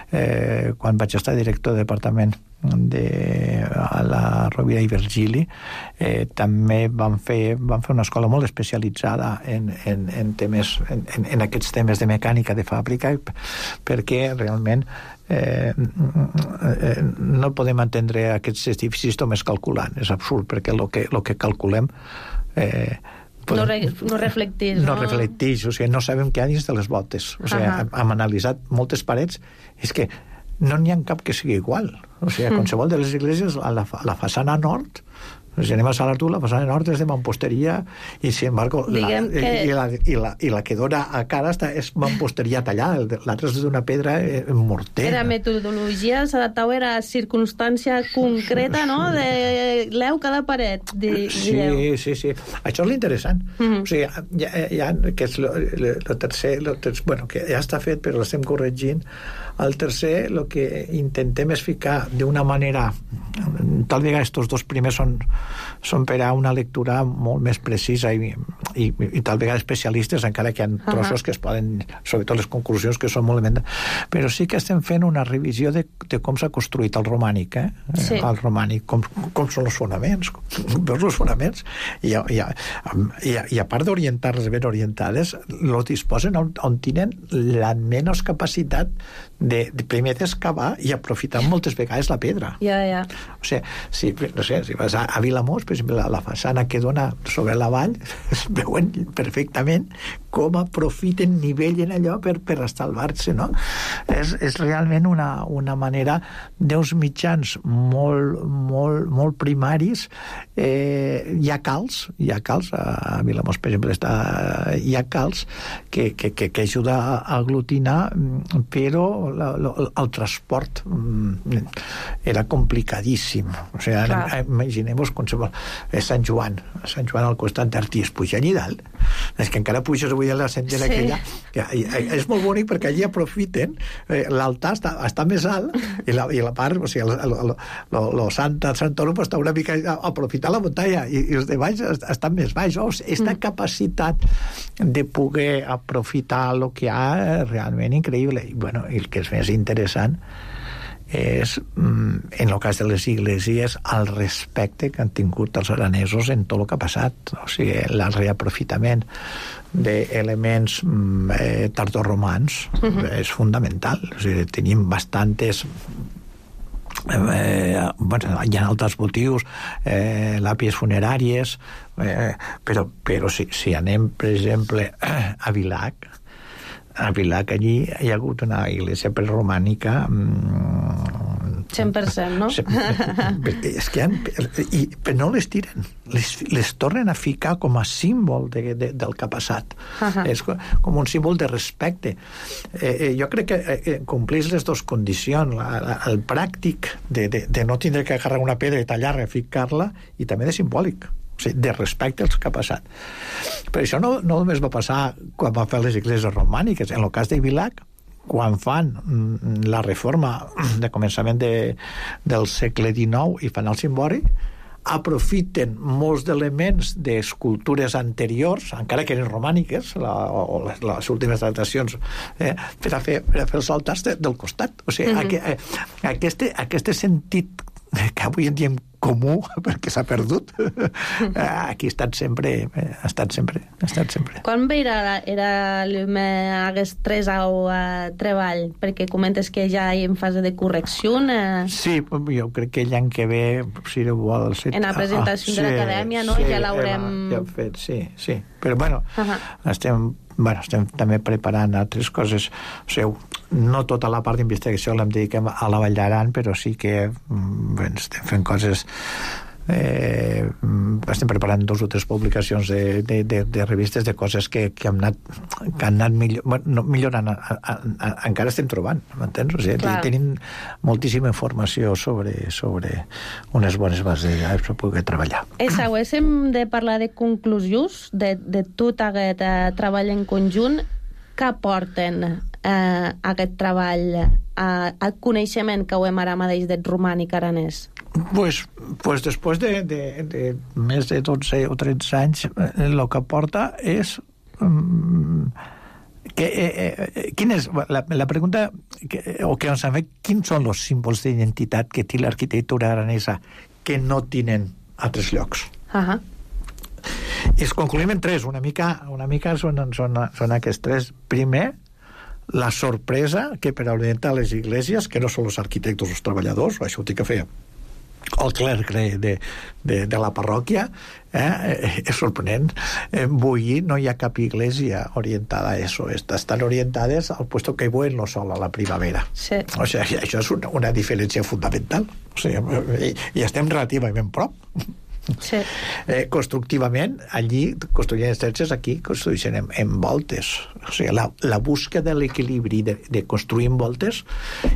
eh, quan vaig estar director de departament de, a la Rovira i Virgili, eh, també van fer, van fer una escola molt especialitzada en, en, en, temes, en, en aquests temes de mecànica de fàbrica, perquè realment eh, no podem entendre aquests edificis només calculant. És absurd, perquè el que, lo que calculem eh, no, re, no reflecteix, no? No reflecteix, o sigui, no sabem què hi ha dins de les voltes. O sigui, uh-huh. hem analitzat moltes parets, és que no n'hi ha cap que sigui igual. O sigui, a qualsevol de les esglésies, a la, a la façana nord, si anem a Salatú, la façana nord és de mamposteria i, sin embargo, la, que... i, la, i, la, i la que dona a cara està, és mamposteria tallada, l'altra és d'una pedra morter. Era metodologia, s'adaptava a la circumstància concreta, no?, de l'eu cada paret. De, sí, de sí, sí. Això és l'interessant. Mm-hmm. O sigui, ja, ja, que és el tercer, lo tercer, bueno, que ja està fet, però l'estem corregint. El tercer, el que intentem és ficar d'una manera, tal vegada estos dos primers són són per a una lectura molt més precisa i, i, i tal vegada especialistes, encara que hi ha trossos uh-huh. que es poden, sobretot les conclusions que són molt elements, però sí que estem fent una revisió de, de com s'ha construït el romànic, eh? Sí. El romànic, com, com són els fonaments, veus els fonaments, i, i, i, i a part d'orientar-les ben orientades, els disposen on, on tenen la menys capacitat de, de primer d'excavar i aprofitar moltes vegades la pedra. Ja, ja. O sigui, si, no sé, si vas a, a Vilamós, per exemple, la, la façana que dona sobre la vall, es veuen perfectament com aprofiten, nivellen allò per, per estalvar-se, no? És, és realment una, una manera d'uns mitjans molt, molt, molt primaris. Eh, hi ha calç, hi ha calç, a Vilamós, per exemple, està, hi ha calç que, que, que, que ajuda a aglutinar, però la, la, el transport era complicadíssim. O sigui, ara, imagineu-vos qualsevol... És Sant Joan, Sant Joan al costat d'Artí, es puja allí dalt. És que encara puges avui a la sendera sí. aquella. Que, és molt bonic perquè allí aprofiten, eh, l'altar està, està més alt i la, i la part, o sigui, el, el, el, el Santa Santoro està una mica a aprofitar la muntanya i, i els de baix estan més baix. O sigui, aquesta mm. capacitat de poder aprofitar el que hi ha realment increïble. I, bueno, i el que és més interessant és, en el cas de les iglesias, el respecte que han tingut els aranesos en tot el que ha passat. O sigui, el reaprofitament d'elements eh, tardorromans uh-huh. és fundamental. O sigui, tenim bastantes... Eh, bueno, hi ha altres motius, eh, làpies funeràries, eh, però, però si, si anem, per exemple, a Vilac, a Vilac allí hi ha hagut una iglesia preromànica cent per cent, no? És que han, i, però no les tiren, les, les tornen a ficar com a símbol de, de, del que ha passat. Uh-huh. És com un símbol de respecte. Eh, jo crec que eh, compleix les dues condicions, la, la, el pràctic de, de, de no tindre que agarrar una pedra i tallar-la, ficar-la, i també de simbòlic, o sigui, de respecte als que ha passat. Però això no, no només va passar quan van fer les igleses romàniques. En el cas de Vilac, quan fan la reforma de començament de, del segle dinou i fan el cimbori, aprofiten molts d'elements d'escultures anteriors, encara que eren romàniques, la, o les, les últimes datacions, eh, per, a fer, per a fer els altars de, del costat. O sigui, mm-hmm. aqu, aquest, aquest sentit que avui en dia comú, perquè s'ha perdut, aquí ha estat sempre, ha estat sempre, ha estat sempre. Quan ve era, era aquest tres au uh, treball? Perquè comentes que ja hi en fase de correcció. Uh... Sí, jo crec que l'any que ve, si vol... Si... En la presentació ah, de l'acadèmia, no? Sí, ja l'haurem... Ja fet, sí, sí. Però, bueno, uh-huh. estem... Bueno, estem també preparant altres coses. O sigui, no tota la part d'investigació l'hem dedicat a la Vall d'Aran, però sí que bé, estem fent coses... Eh, estem preparant dos o tres publicacions de, de, de, de revistes de coses que, que, hem anat, que han anat millor, bueno, millorant a, a, a, encara estem trobant, m'entens? O sigui, tenim moltíssima informació sobre, sobre unes bones bases per poder treballar. I si haguéssim de parlar de conclusions de, de tot aquest eh, treball en conjunt, què aporten eh, aquest treball eh, al coneixement que ho hem ara mateix del romànic aranès? Pues, pues després de, de, de més de dotze o tretze anys, el que aporta és um, que, eh, eh, quin és la, la pregunta que, o que ens han fet, quins són els símbols d'identitat que té l'arquitectura aranesa que no tenen altres llocs? Uh-huh. I es concluïm en tres, una mica, una mica són, són, són aquests tres. Primer, la sorpresa que per orientar les iglesias, que no són els arquitectes o els treballadors, això ho té que fer el clerc de, de, de, de la parròquia, eh, és sorprenent. Avui no hi ha cap iglesia orientada a això. Estan orientades al puesto que buen lo sol a la primavera. Sí. O sigui, això és una, una diferència fundamental. O sigui, i, i estem relativament prop. Sí. Eh, constructivament, allí construïen estrelles, aquí construïen en, en voltes. O sigui, la, la búsqueda de l'equilibri de, de construir en voltes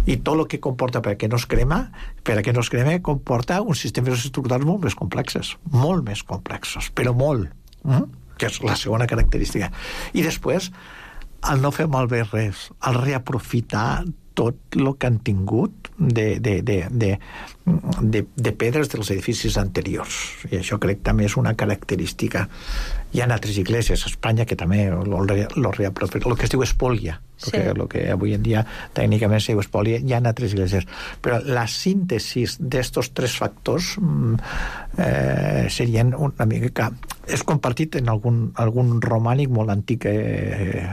i tot el que comporta perquè no es crema, per a que no es crema, comporta uns sistemes estructurals molt més complexos, molt més complexos, però molt, mm? que és la segona característica. I després, al no fer malbé res, al reaprofitar tot el que han tingut de, de, de, de, de, de pedres dels edificis anteriors. I això crec que també és una característica. Hi ha altres igleses a Espanya que també lo, lo reaprofiten, el que es diu espòlia, sí. el, que, el que avui en dia tècnicament es diu espòlia, hi ha altres igleses. Però la síntesi d'estos tres factors eh, serien una mica que és compartit en algun, algun romànic molt antic eh,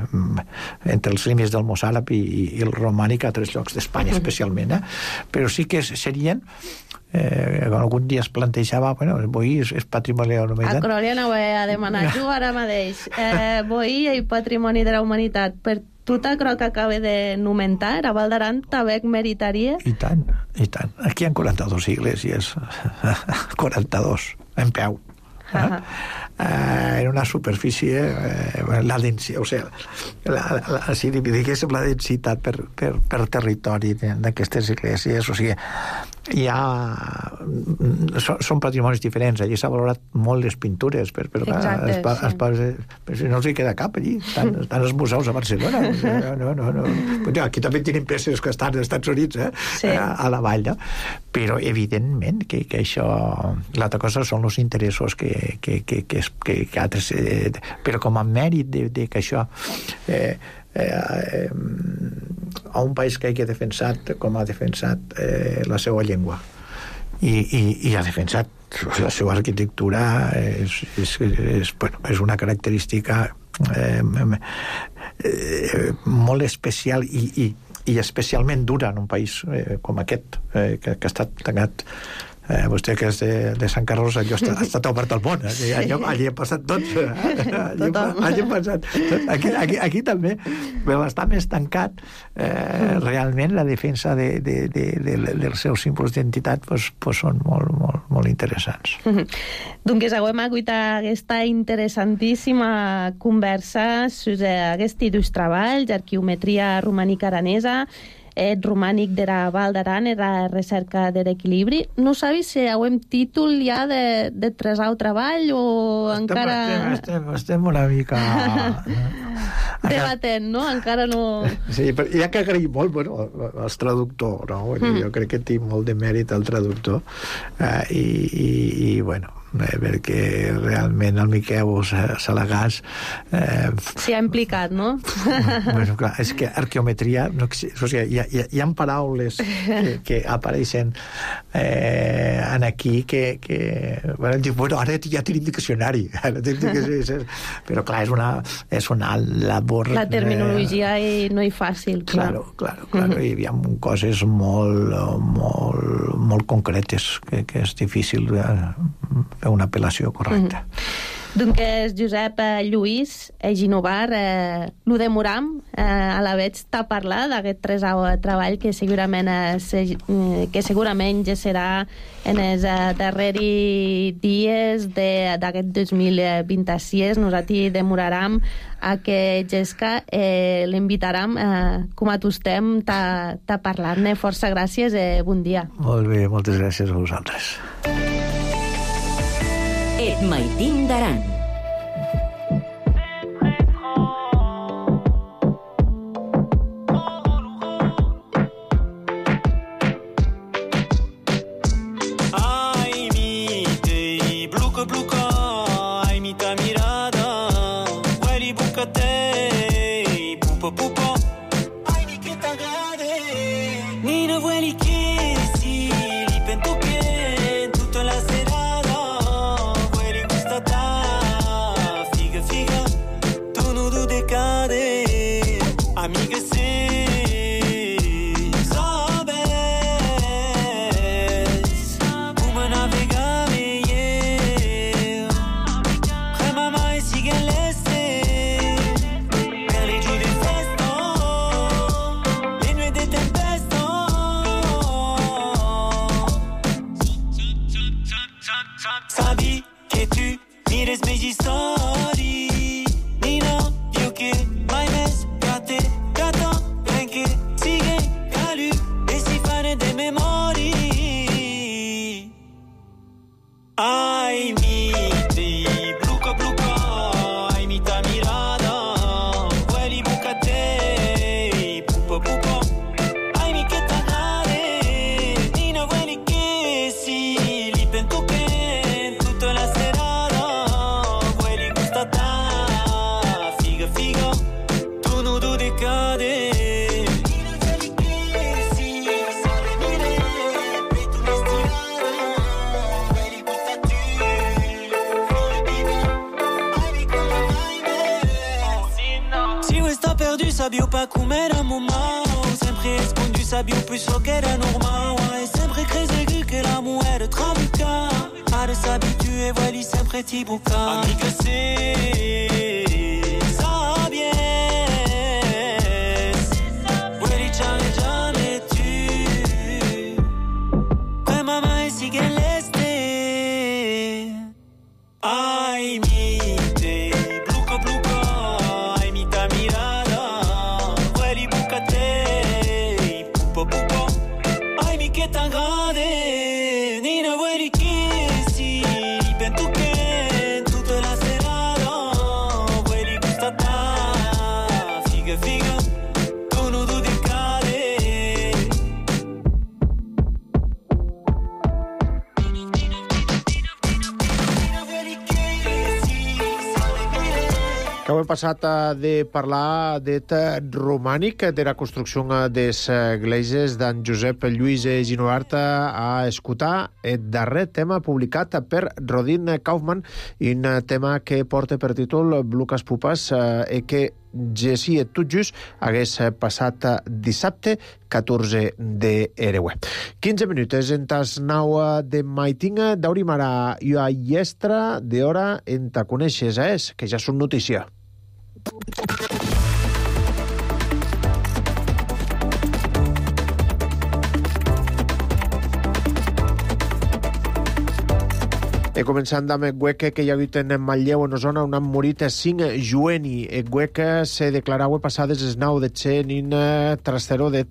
entre els límits del mossàrab i, i el romànic a tres llocs d'Espanya, especialment, eh? Però sí que serien eh, algun dia es plantejava, bueno, el boí és, és patrimoni de la humanitat. A Cròlia no ho he a demanar jo ara mateix. Eh, boí i patrimoni de la humanitat. Per tota crec que acaba de nomentar, a Val d'Aran també meritaria? I tant, i tant. Aquí hi ha quaranta-dos iglésies. quaranta-dos, en peu. Eh? Eh, en una superfície eh, la densitat, o sigui, la, la, si diguéssim la densitat per, per, per territori d'aquestes esglésies, o sigui, hi ha són, són patrimonis diferents. Allí s'ha valorat molt les pintures, per, per, exacte, es, es, sí. es, però si no els hi queda cap allí, estan, estan els museus a Barcelona, o sigui, no, no, no. Però aquí també tenim peces que estan als Estats Units, eh? Sí. a, a la vall, no? Però evidentment que, que això, l'altra cosa són els interessos que que, que, que, que, que altres, eh, però com a mèrit de, de que això eh, eh, eh, a un país que hagi defensat com ha defensat eh, la seva llengua i, i, i ha defensat la seva arquitectura és, és, és, bueno, és una característica eh, eh, molt especial i, i, i especialment dura en un país eh, com aquest eh, que, que ha estat tancat. Eh, vostè que és de, de Sant Carlos, allò ha, ha estat obert al món, eh? allò, allí ha passat tot, eh? allí, allí ha passat tot. Aquí, aquí, aquí també, però està més tancat eh, realment la defensa de, de, de, de, de, dels seus símbols d'identitat pues, pues són molt, molt, molt interessants. Doncs hauem agut aquesta interessantíssima conversa sobre aquest dos treballs, arqueometria romànica aranesa, et romànic de la Val d'Aran i la recerca de l'equilibri. No sabis si hauem títol ja de, de tresau treball o estem, encara... Estem, estem, estem una mica... debatent, no? Encara no... Sí, però hi ha que agrair molt, bueno, als traductors, no? Mm. Jo crec que tinc molt de mèrit al traductor eh, i, i, i, bueno, eh, perquè realment el Miquel Salagàs eh, s'hi ha implicat, no? Bueno, clar, és que arqueometria no, o sigui, hi, ha, hi ha paraules que, que apareixen eh, en aquí que, que bueno, bueno, ara ja tenim diccionari però clar, és una, és una labor la terminologia eh, no és fàcil, clar. Claro, claro, claro. Mm-hmm. Hi ha coses molt, molt, molt concretes que, que és difícil de fer una apel·lació correcta. Mm-hmm. Doncs Josep eh, Lluís eh, Ginovar, eh, lo demoram eh, a la veig t'ha parlat d'aquest tresau treball que segurament eh, se, eh, que segurament ja serà en els eh, darrers dies d'aquest dos mil vint-i-sis. Nosaltres demoraram a que Gesca eh, l'invitaram eh, com a tostem t'ha parlat-ne. Força gràcies i eh, bon dia. Molt bé, moltes gràcies a vosaltres. Et Maitín d'Aran. Ai, mi tei bluca bluca, ai mi ta mirada, hueli bucatei, pupa pupa, ai mi che t'agrade, Nina hueli che si li pento che tutta la sera. Amiga, se sabes como navegar eu, remama e siga leste, per les jours de festa, les nuits de tempesta. Sabi que tu mires mes histoires, Nina, viu que mai més gata, gata, anche sigue calu e si fanno de memori. Ai mi ti bluca bluca, ai mi ta mirada, hueli bucatei, pupa pupa, ai mi che t'agrade, Nina hueli che si li pento che tutta la serata, hueli gustata, figa figa. Sabio pa come era momento, sempre sempre escondu, sabia o puxo que era normal. É sempre cresceu que l'amor era trabucar. Para se habituer, voilà, sempre tibucar. Amiga, c'est sabies. Voilà, jamais, jamais tu. Que maman sigue l'este. Ai, mi te, bluca, bluca. Ai, mi ta mirada. Voilà, bucate. Pupa, pupa. Ai, mi que tan grande. Nina, voilà, que si. Ben tu que, tutta la serata. Voilà, gustata. Figa, figa. Tu no du di cade. Que heu passat eh, de parlar d'et romànic, de la construcció des esglésies d'en Josep Lluís Ginovart a escoltar el darrer tema publicat per Rodin Kaufman, un tema que porta per títol Bluques Pupes eh, i que Jessi et tot just hagués passat dissabte catorze d'Ereuer. quinze minuts en tas nau de maitinga d'aurim ara i a iestra d'hora en ta coneixes és, que ja són notícia. E començant amb el Gueque, que hi ha hagut en Manlleu, en Osona, on han morit cinc jueni. El Gueque se declarava passades es nau de ser en un trasteró de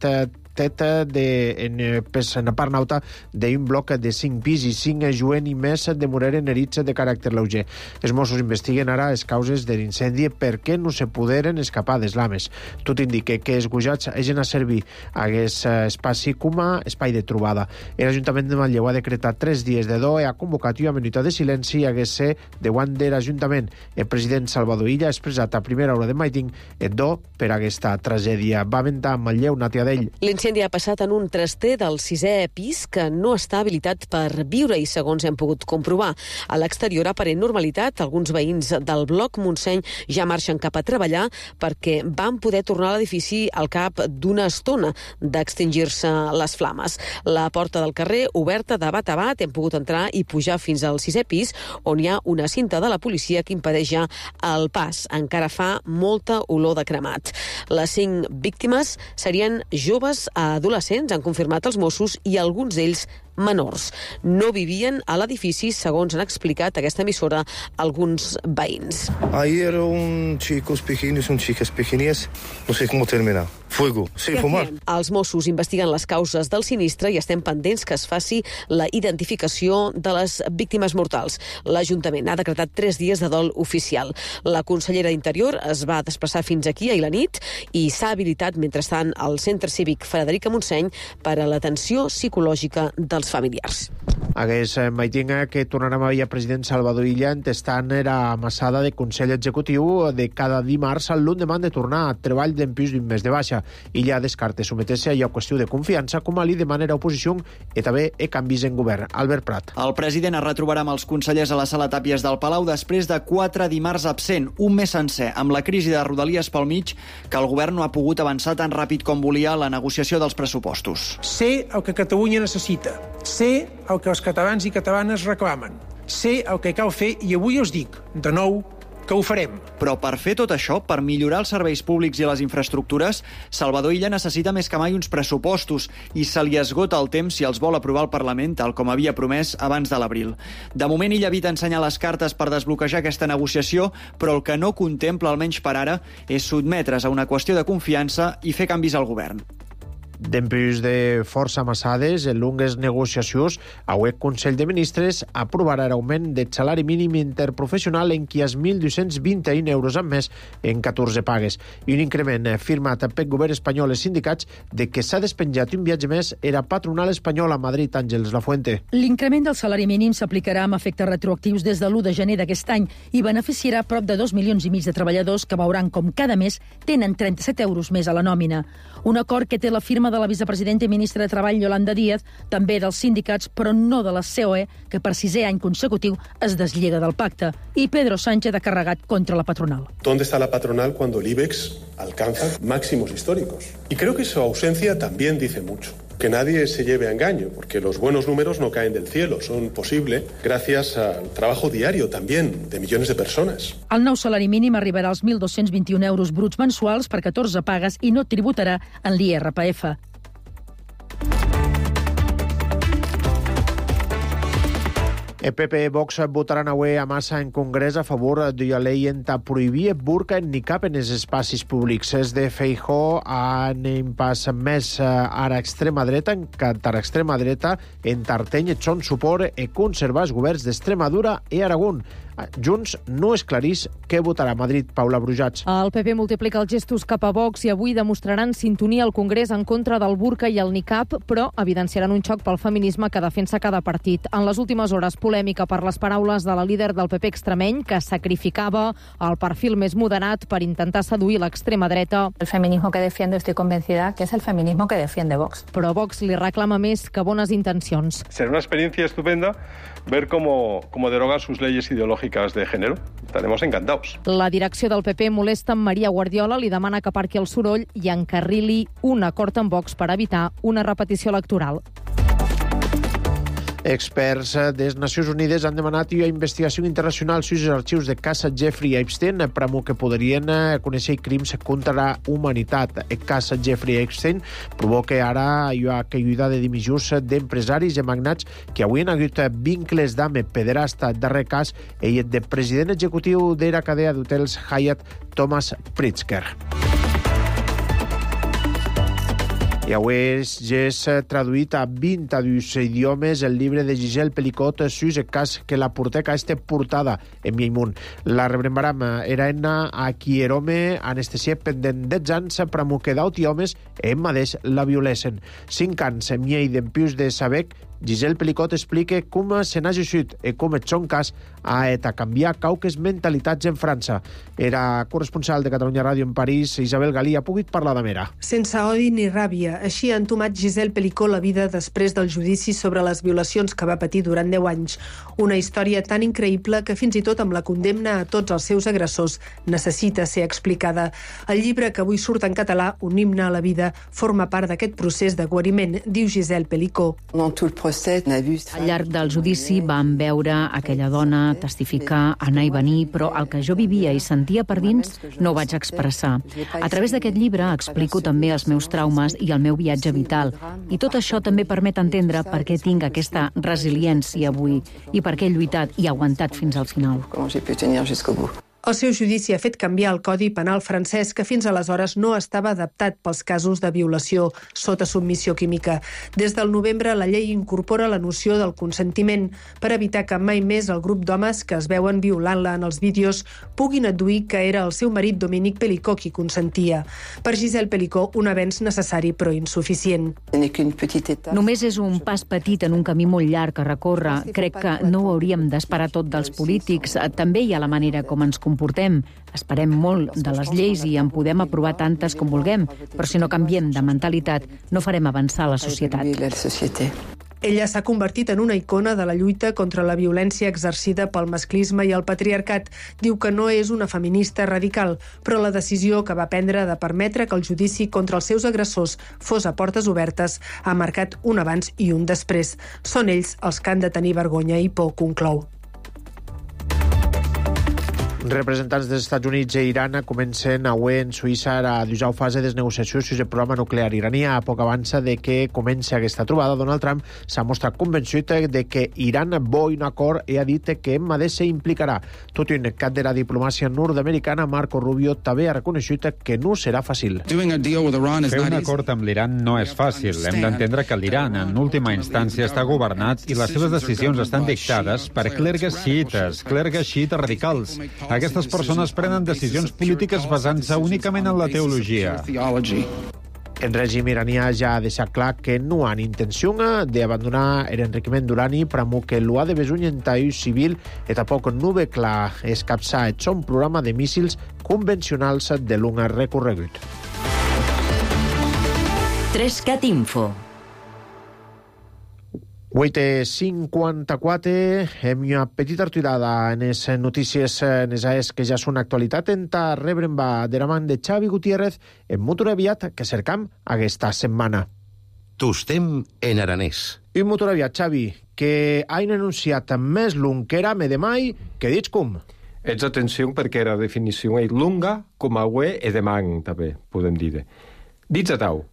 teta de, en, en la part nauta d'un bloc de cinc pis i cinc jueni més de moreren herits de caràcter lleuger. Els Mossos investiguen ara les causes de l'incendi perquè no se poderen escapar des lames. Tot indica que els gujats hagin a servir a aquest espai com a espai de trobada. L'Ajuntament de Manlleu ha decretat tres dies de do i ha convocat una minuta de silenci a hagués ser davant de l'Ajuntament. El president Salvador Illa ha expressat a primera hora de maiting el do per aquesta tragèdia. Va aventar a Manlleu, Nàtia Dell. L'incendi ha passat en un traster del sisè pis que no està habilitat per viure i, segons hem pogut comprovar, a l'exterior aparent normalitat, alguns veïns del bloc Montseny ja marxen cap a treballar perquè van poder tornar a l'edifici al cap d'una estona d'extingir-se les flames. La porta del carrer, oberta de bat a bat, hem pogut entrar i pujar fins al sisè pis, on hi ha una cinta de la policia que impedeix ja el pas. Encara fa molta olor de cremat. Les cinc víctimes serien joves adolescents, han confirmat els Mossos, i alguns d'ells menors. No vivien a l'edifici, segons han explicat aquesta emissora alguns veïns. Ahí era un chicos pequeños, un chicas pequeñas, no sé cómo terminar. Fuego, sin fumar. Els Mossos investiguen les causes del sinistre i estem pendents que es faci la identificació de les víctimes mortals. L'Ajuntament ha decretat tres dies de dol oficial. La consellera d'Interior es va desplaçar fins aquí ahir la nit i s'ha habilitat mentrestant al Centre Cívic Frederica Montseny per a l'atenció psicològica dels familiars. Hagués maitinga que tornarem a veure president Salvador Illa entestant era amassada de Consell Executiu de cada dimarts al l'endemà de tornar a treball d'empís d'un mes de baixa. Illa descarta someter-se a allò qüestió de confiança com a li de manera oposició i també e canvis en govern. Albert Prat. El president es retrobarà amb els consellers a la sala Tàpies del Palau després de quatre dimarts absent, un mes sencer, amb la crisi de Rodalies pel mig, que el govern no ha pogut avançar tan ràpid com volia la negociació dels pressupostos. Sé el que Catalunya necessita, sé el que els catalans i catalanes reclamen, sé el que cal fer i avui us dic, de nou, que ho farem. Però per fer tot això, per millorar els serveis públics i les infraestructures, Salvador Illa necessita més que mai uns pressupostos i se li esgota el temps si els vol aprovar el Parlament, tal com havia promès abans de l'abril. De moment, Illa evita ensenyar les cartes per desbloquejar aquesta negociació, però el que no contempla, almenys per ara, és sotmetre's a una qüestió de confiança i fer canvis al govern. Dempús de força amassades, en longues negociacions, el Consell de Ministres aprovarà l'augment del salari mínim interprofessional en qui és mil dos-cents vint i un euros amb més en catorze pagues i un increment firmat pel govern espanyol i els sindicats de que s'ha despenjat un viatge més era patronal espanyol a Madrid. Àngels Lafuente. L'increment del salari mínim s'aplicarà amb efectes retroactius des de l'u de gener d'aquest any i beneficiarà prop de dos milions i mig de treballadors que veuran com cada mes tenen trenta-set euros més a la nòmina. Un acord que té la firma de la vicepresidenta i ministra de Treball, Yolanda Díaz, també dels sindicats, però no de la C O E, que per sisè any consecutiu es deslliga del pacte. I Pedro Sánchez ha carregat contra la patronal. ¿Dónde está la patronal cuando el IBEX alcanza máximos históricos? Y creo que su ausencia también dice mucho. Que nadie se lleve a engaño, porque los buenos números no caen del cielo, son posibles gracias al trabajo diario también de millones de personas. El nou salari mínim arribarà als mil dos-cents vint-i-un euros bruts mensuals per catorze pagues i no tributarà en l'I R P F. El P P i Vox votaran avui a massa en Congrés a favor de la llei enta prohibir burca ni cap en els espais públics. És de Feijóo han pas més ara extrema dreta, en cantar extrema dreta, en Tarteny són suport e conservar els governs d'Extremadura i Aragón. Junts no esclarís què votarà a Madrid. Paula Brujats. El P P multiplica els gestos cap a Vox i avui demostraran sintonia al Congrés en contra del burca i el nicab, però evidenciaran un xoc pel feminisme que defensa cada partit. En les últimes hores, polèmica per les paraules de la líder del P P extremeny, que sacrificava el perfil més moderat per intentar seduir l'extrema dreta. El feminismo que defiendo estoy convencida que es el feminismo que defiende Vox. Però Vox li reclama més que bones intencions. Será una experiencia estupenda ver cómo, cómo derogan sus leyes ideológicas de género. Estaremos encantados. La direcció del P P molesta amb Maria Guardiola, li demana que aparqui el soroll i encarrili un acord amb Vox per evitar una repetició electoral. Experts de les Nacions Unides han demanat una investigació internacional sobre els arxius de casa Jeffrey Epstein per que podrien conèixer crims contra la humanitat. El cas Jeffrey Epstein provoca ara una caiguda de dimissions d'empresaris i magnats que avui han hagut vincles d'ame pederasta darrer cas i del president executiu de la cadena d'hotels Hyatt, Thomas Pritzker. I avui ja és traduït a vint-i-dos idiomes el llibre de Giselle Pelicot sus el cas que la porteca este portada en Miaimunt. La rebrembaram era enna a Quierome, anestesia pendent dotze anys per a que d'auti homes en madeix la violesen. Cinc anys en miei d'empius de Sabec, Giselle Pelicot explica com se n'ha gesut i com et són cas a et a canviar cauques mentalitats en França. Era corresponsal de Catalunya Ràdio en París, Isabel Galí ha pogut parlar de Mera. Sense odi ni ràbia, així ha entomat Giselle Pelicot la vida després del judici sobre les violacions que va patir durant deu anys. Una història tan increïble que fins i tot amb la condemna a tots els seus agressors necessita ser explicada. El llibre que avui surt en català, Un himne a la vida, forma part d'aquest procés de guariment, diu Giselle Pelicot. Al llarg del judici vam veure aquella dona testificar, anar i venir, però el que jo vivia i sentia per dins no ho vaig expressar. A través d'aquest llibre explico també els meus traumes i el meu viatge vital. I tot això també permet entendre per què tinc aquesta resiliència avui i per què he lluitat i aguantat fins al final. El seu judici ha fet canviar el Codi Penal francès, que fins aleshores no estava adaptat pels casos de violació sota submissió química. Des del novembre, la llei incorpora la noció del consentiment per evitar que mai més el grup d'homes que es veuen violant-la en els vídeos puguin adduir que era el seu marit Dominique Pelicot qui consentia. Per Giselle Pelicot, un avenç necessari però insuficient. Només és un pas petit en un camí molt llarg a recórrer. Crec que no ho hauríem d'esperar tot dels polítics. També hi ha la manera com ens comportem. Esperem molt de les lleis i en podem aprovar tantes com vulguem, però si no canviem de mentalitat no farem avançar la societat. Ella s'ha convertit en una icona de la lluita contra la violència exercida pel masclisme i el patriarcat. Diu que no és una feminista radical, però la decisió que va prendre de permetre que el judici contra els seus agressors fos a portes obertes ha marcat un abans i un després. Són ells els que han de tenir vergonya i por, conclou. Representants dels Estats Units i Iran comencen avui en Suïssa a dusau fase de negociacions sobre el programa nuclear iraní. A poc avança de que comenci aquesta trobada, Donald Trump s'ha mostrat convençut de que Iran vol un acord i ha dit que Emma se implicarà. Tot i un cap de la diplomàcia nord-americana, Marco Rubio també ha reconegut que no serà fàcil. Fer un acord amb l'Iran no és fàcil. Hem d'entendre que l'Iran, en última instància, està governat i les seves decisions estan dictades per clergues xiites, clergues xiites radicals. Aquestes persones prenen decisions polítiques basant-se únicament en la teologia. El règim iranià ja ha deixat clar que no han intenció d'abandonar l'enriquiment d'urani per a que l'ho ha de besuny en ús civil i tampoc no ve clar escapçar el son programa de míssils convencionals de l'un recorregut. Trescat Info. vuit i cinquanta-quatre, hem una petita aturada en les notícies nesaes que ja són actualitat en ta rebren va de la man de Xavi Gutiérrez en motor aviat que cercam aquesta setmana. Tostem en aranès. Un motor aviat, Xavi, que han anunciat més long que era me de mai, que dits com? Ets atenció perquè la definició és longa, com a uè e de man, també, podem dir. Dits a tau.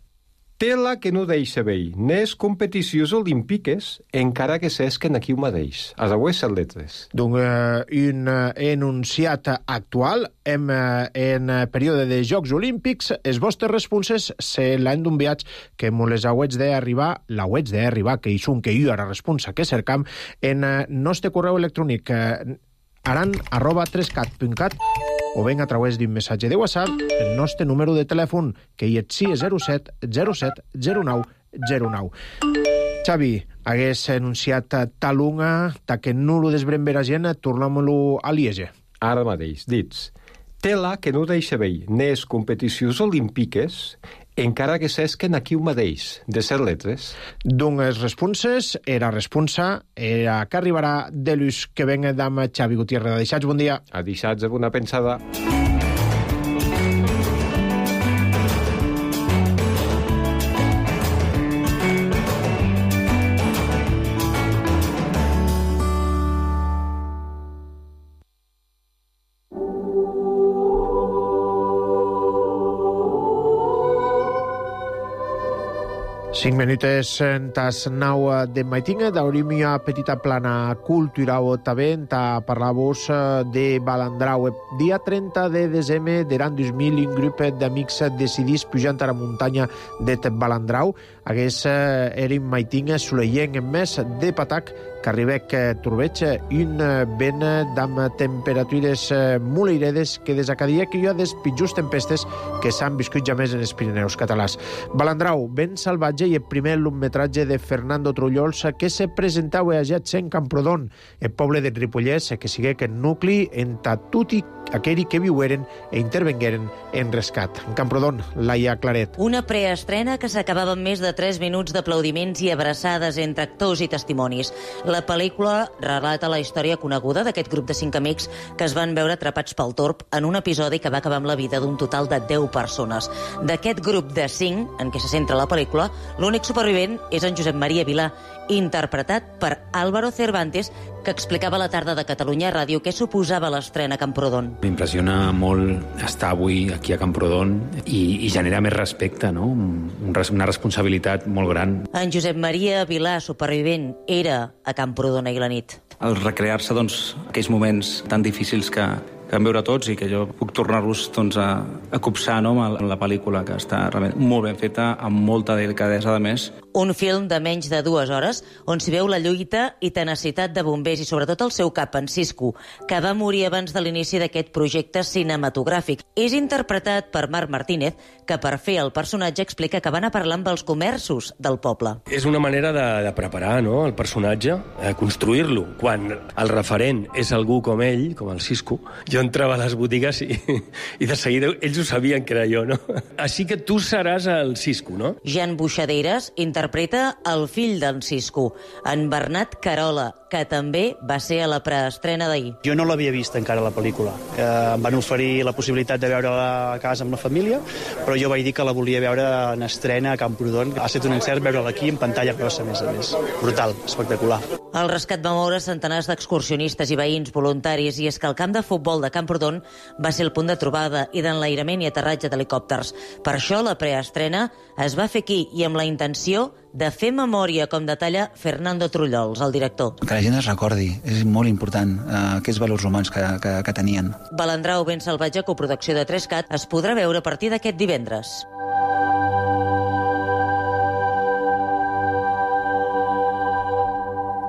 Tela que no deixa veir, nes competicions olímpiques, encara que s'esquen aquí un mateix, a les atletes. Donc, eh, un eh, enunciat actual en, eh, en període de Jocs Olímpics, els vostres responses se l'han d'un viatge que mo les hauets d'arribar, l'hauets d'arribar, que hi són que jo ara responsa que cercam, en eh, nostre correu electrònic eh, aran arroba trescat punt cat o ben a través d'un missatge de WhatsApp el nostre número de telèfon, que hi és sis zero set zero set zero nou zero nou. Xavi, hagués anunciat talunga, ta que no lo desbrem ver a gent, tornem-lo a Liege. Ara mateix, dits. Tela que no deixa veir, nes competicions olímpiques, encara que s'esquen aquí un mateix, de set letres. Doncs els responses, era responsa, era que arribarà de l'ús que venga d'am Xavi Gutiérrez. Deixats, bon dia. A deixats, bona pensada. Cinc minutes en tas nau de maitinga, d'obrim una petita plana cultural també, ta parlar-vos de Balandrau. Dia trenta de desembre d'an dos mil, un grup d'amics decidís pujant a la muntanya de Balandrau. Hagués eren maitinga soleient més de patac que arribec turbeig, un vent d'am temperatures molt airedes que des cada dia que hi ha des pitjors tempestes que s'han viscut ja més en els Pirineus catalans. Balandrau, vent salvatge i el primer lungmetratge de Fernando Trullols que se presentava a Jets en Camprodon, el poble de Ripollès, que sigue que nucli entre tutti aquells que viueren e intervengueren en rescat. En Camprodon, Laia Claret. Una preestrena que s'acabava amb més de tres minuts d'aplaudiments i abraçades entre actors i testimonis. La pel·lícula relata la història coneguda d'aquest grup de cinc amics que es van veure atrapats pel torb en un episodi que va acabar amb la vida d'un total de deu persones. D'aquest grup de cinc, en què se centra la pel·lícula, l'únic supervivent és en Josep Maria Vilà, interpretat per Álvaro Cervantes, que explicava a la tarda de Catalunya Ràdio què suposava l'estrena a Camprodon. M'impressiona molt estar avui aquí a Camprodon i, i genera més respecte, no? Un, una responsabilitat molt gran. En Josep Maria Vilà, supervivent, era a Camprodon ahir la nit. El recrear-se, doncs, aquells moments tan difícils que, que vam veure tots i que jo puc tornar-los doncs, a, a copsar, no?, en la pel·lícula, que està realment molt ben feta, amb molta delicadesa, a més. Un film de menys de dues hores on s'hi veu la lluita i tenacitat de bombers i sobretot el seu cap, en Cisco, que va morir abans de l'inici d'aquest projecte cinematogràfic. És interpretat per Marc Martínez, que per fer el personatge explica que van a parlar amb els comerços del poble. És una manera de, de preparar, no?, el personatge, de construir-lo. Quan el referent és algú com ell, com el Cisco, jo entrava a les botigues i, i de seguida ells ho sabien que era jo, no? Així que tu seràs el Cisco, no? Jan Buixaderes interpreta el fill d'en Cisco, en Bernat Carola, que també va ser a la preestrena d'ahir. Jo no l'havia vist encara, la pel·lícula. Eh, em van oferir la possibilitat de veure-la a casa amb la família, però jo vaig dir que la volia veure en estrena a Camprodon. Ha estat un encert veure-la aquí en pantalla grossa, a més a més. Brutal, espectacular. El rescat va moure centenars d'excursionistes i veïns voluntaris, i és que el camp de futbol de Camprodon va ser el punt de trobada i d'enlairament i aterratge d'helicòpters. Per això la preestrena es va fer aquí i amb la intenció de fer memòria, com detalla Fernando Trullols, el director. Que la gent es recordi, és molt important, eh, aquests valors humans que, que, que tenien. Balandrau, ben salvatge, coproducció de Trescat, es podrà veure a partir d'aquest divendres.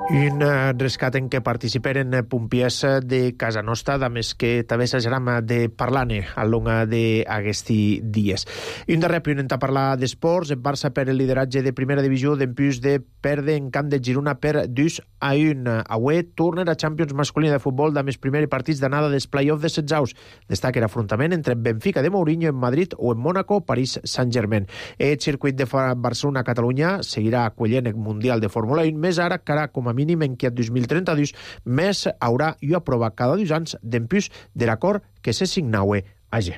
Un rescat en què participeren pompiers de Casa Nostra, a més que també s'ageram de parlar-ne al long d'aquests dies. I un darrer punt a parlar d'esports. El Barça per el lideratge de primera divisió d'empús de perdre en camp de Girona per dos a un. Avui torna a Champions masculina de futbol de més primers partits d'anada dels play-off de setzaus. Destaca l'afrontament entre Benfica de Mourinho en Madrid o en Mónaco, París Saint-Germain. El circuit de Barcelona-Catalunya seguirà acollint el Mundial de Fórmula un, més ara que ara com a mínim en aquest dos mil trenta-dos més haurà i aprovat cada dos anys d'empús de l'acord que se signaue allí.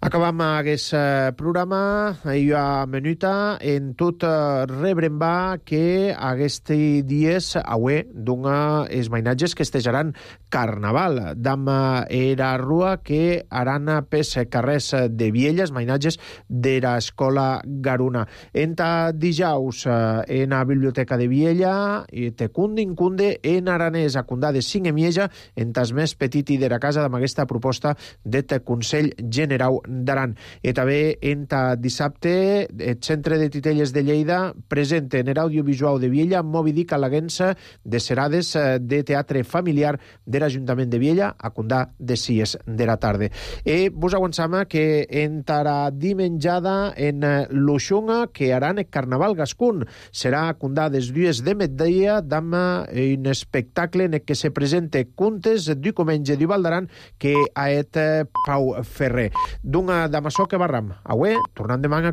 Acabam aquest programa. Hi ha menuta en tot rebrem va que aquests dies avui dona els mainatges que estejaran Carnaval. Dam era rua que aran pes carrers de Viella, els mainatges de l'escola Garuna. Enta dijous en la biblioteca de Viella i te cunde incunde en aranès a cundà de cinc emieja entas més petit i de la casa amb aquesta proposta de Consell Generau d'Aran. I també enta dissabte el Centre de Titelles de Lleida presenta en l'audiovisual de Viella Moby Dick a la Guensa de serades de teatre familiar de l'Ajuntament de Viella a condà de sis de la tarda. I vos avançam que entarà dimenjada en l'Uxunga que haran el Carnaval Gascun. Serà a condà des dues de migdia amb un espectacle en què se presenta contes du Comenge du Val d'Aran que ha et Pau Ferrer. D'una d'amaçò que barram. Avui, tornant demà a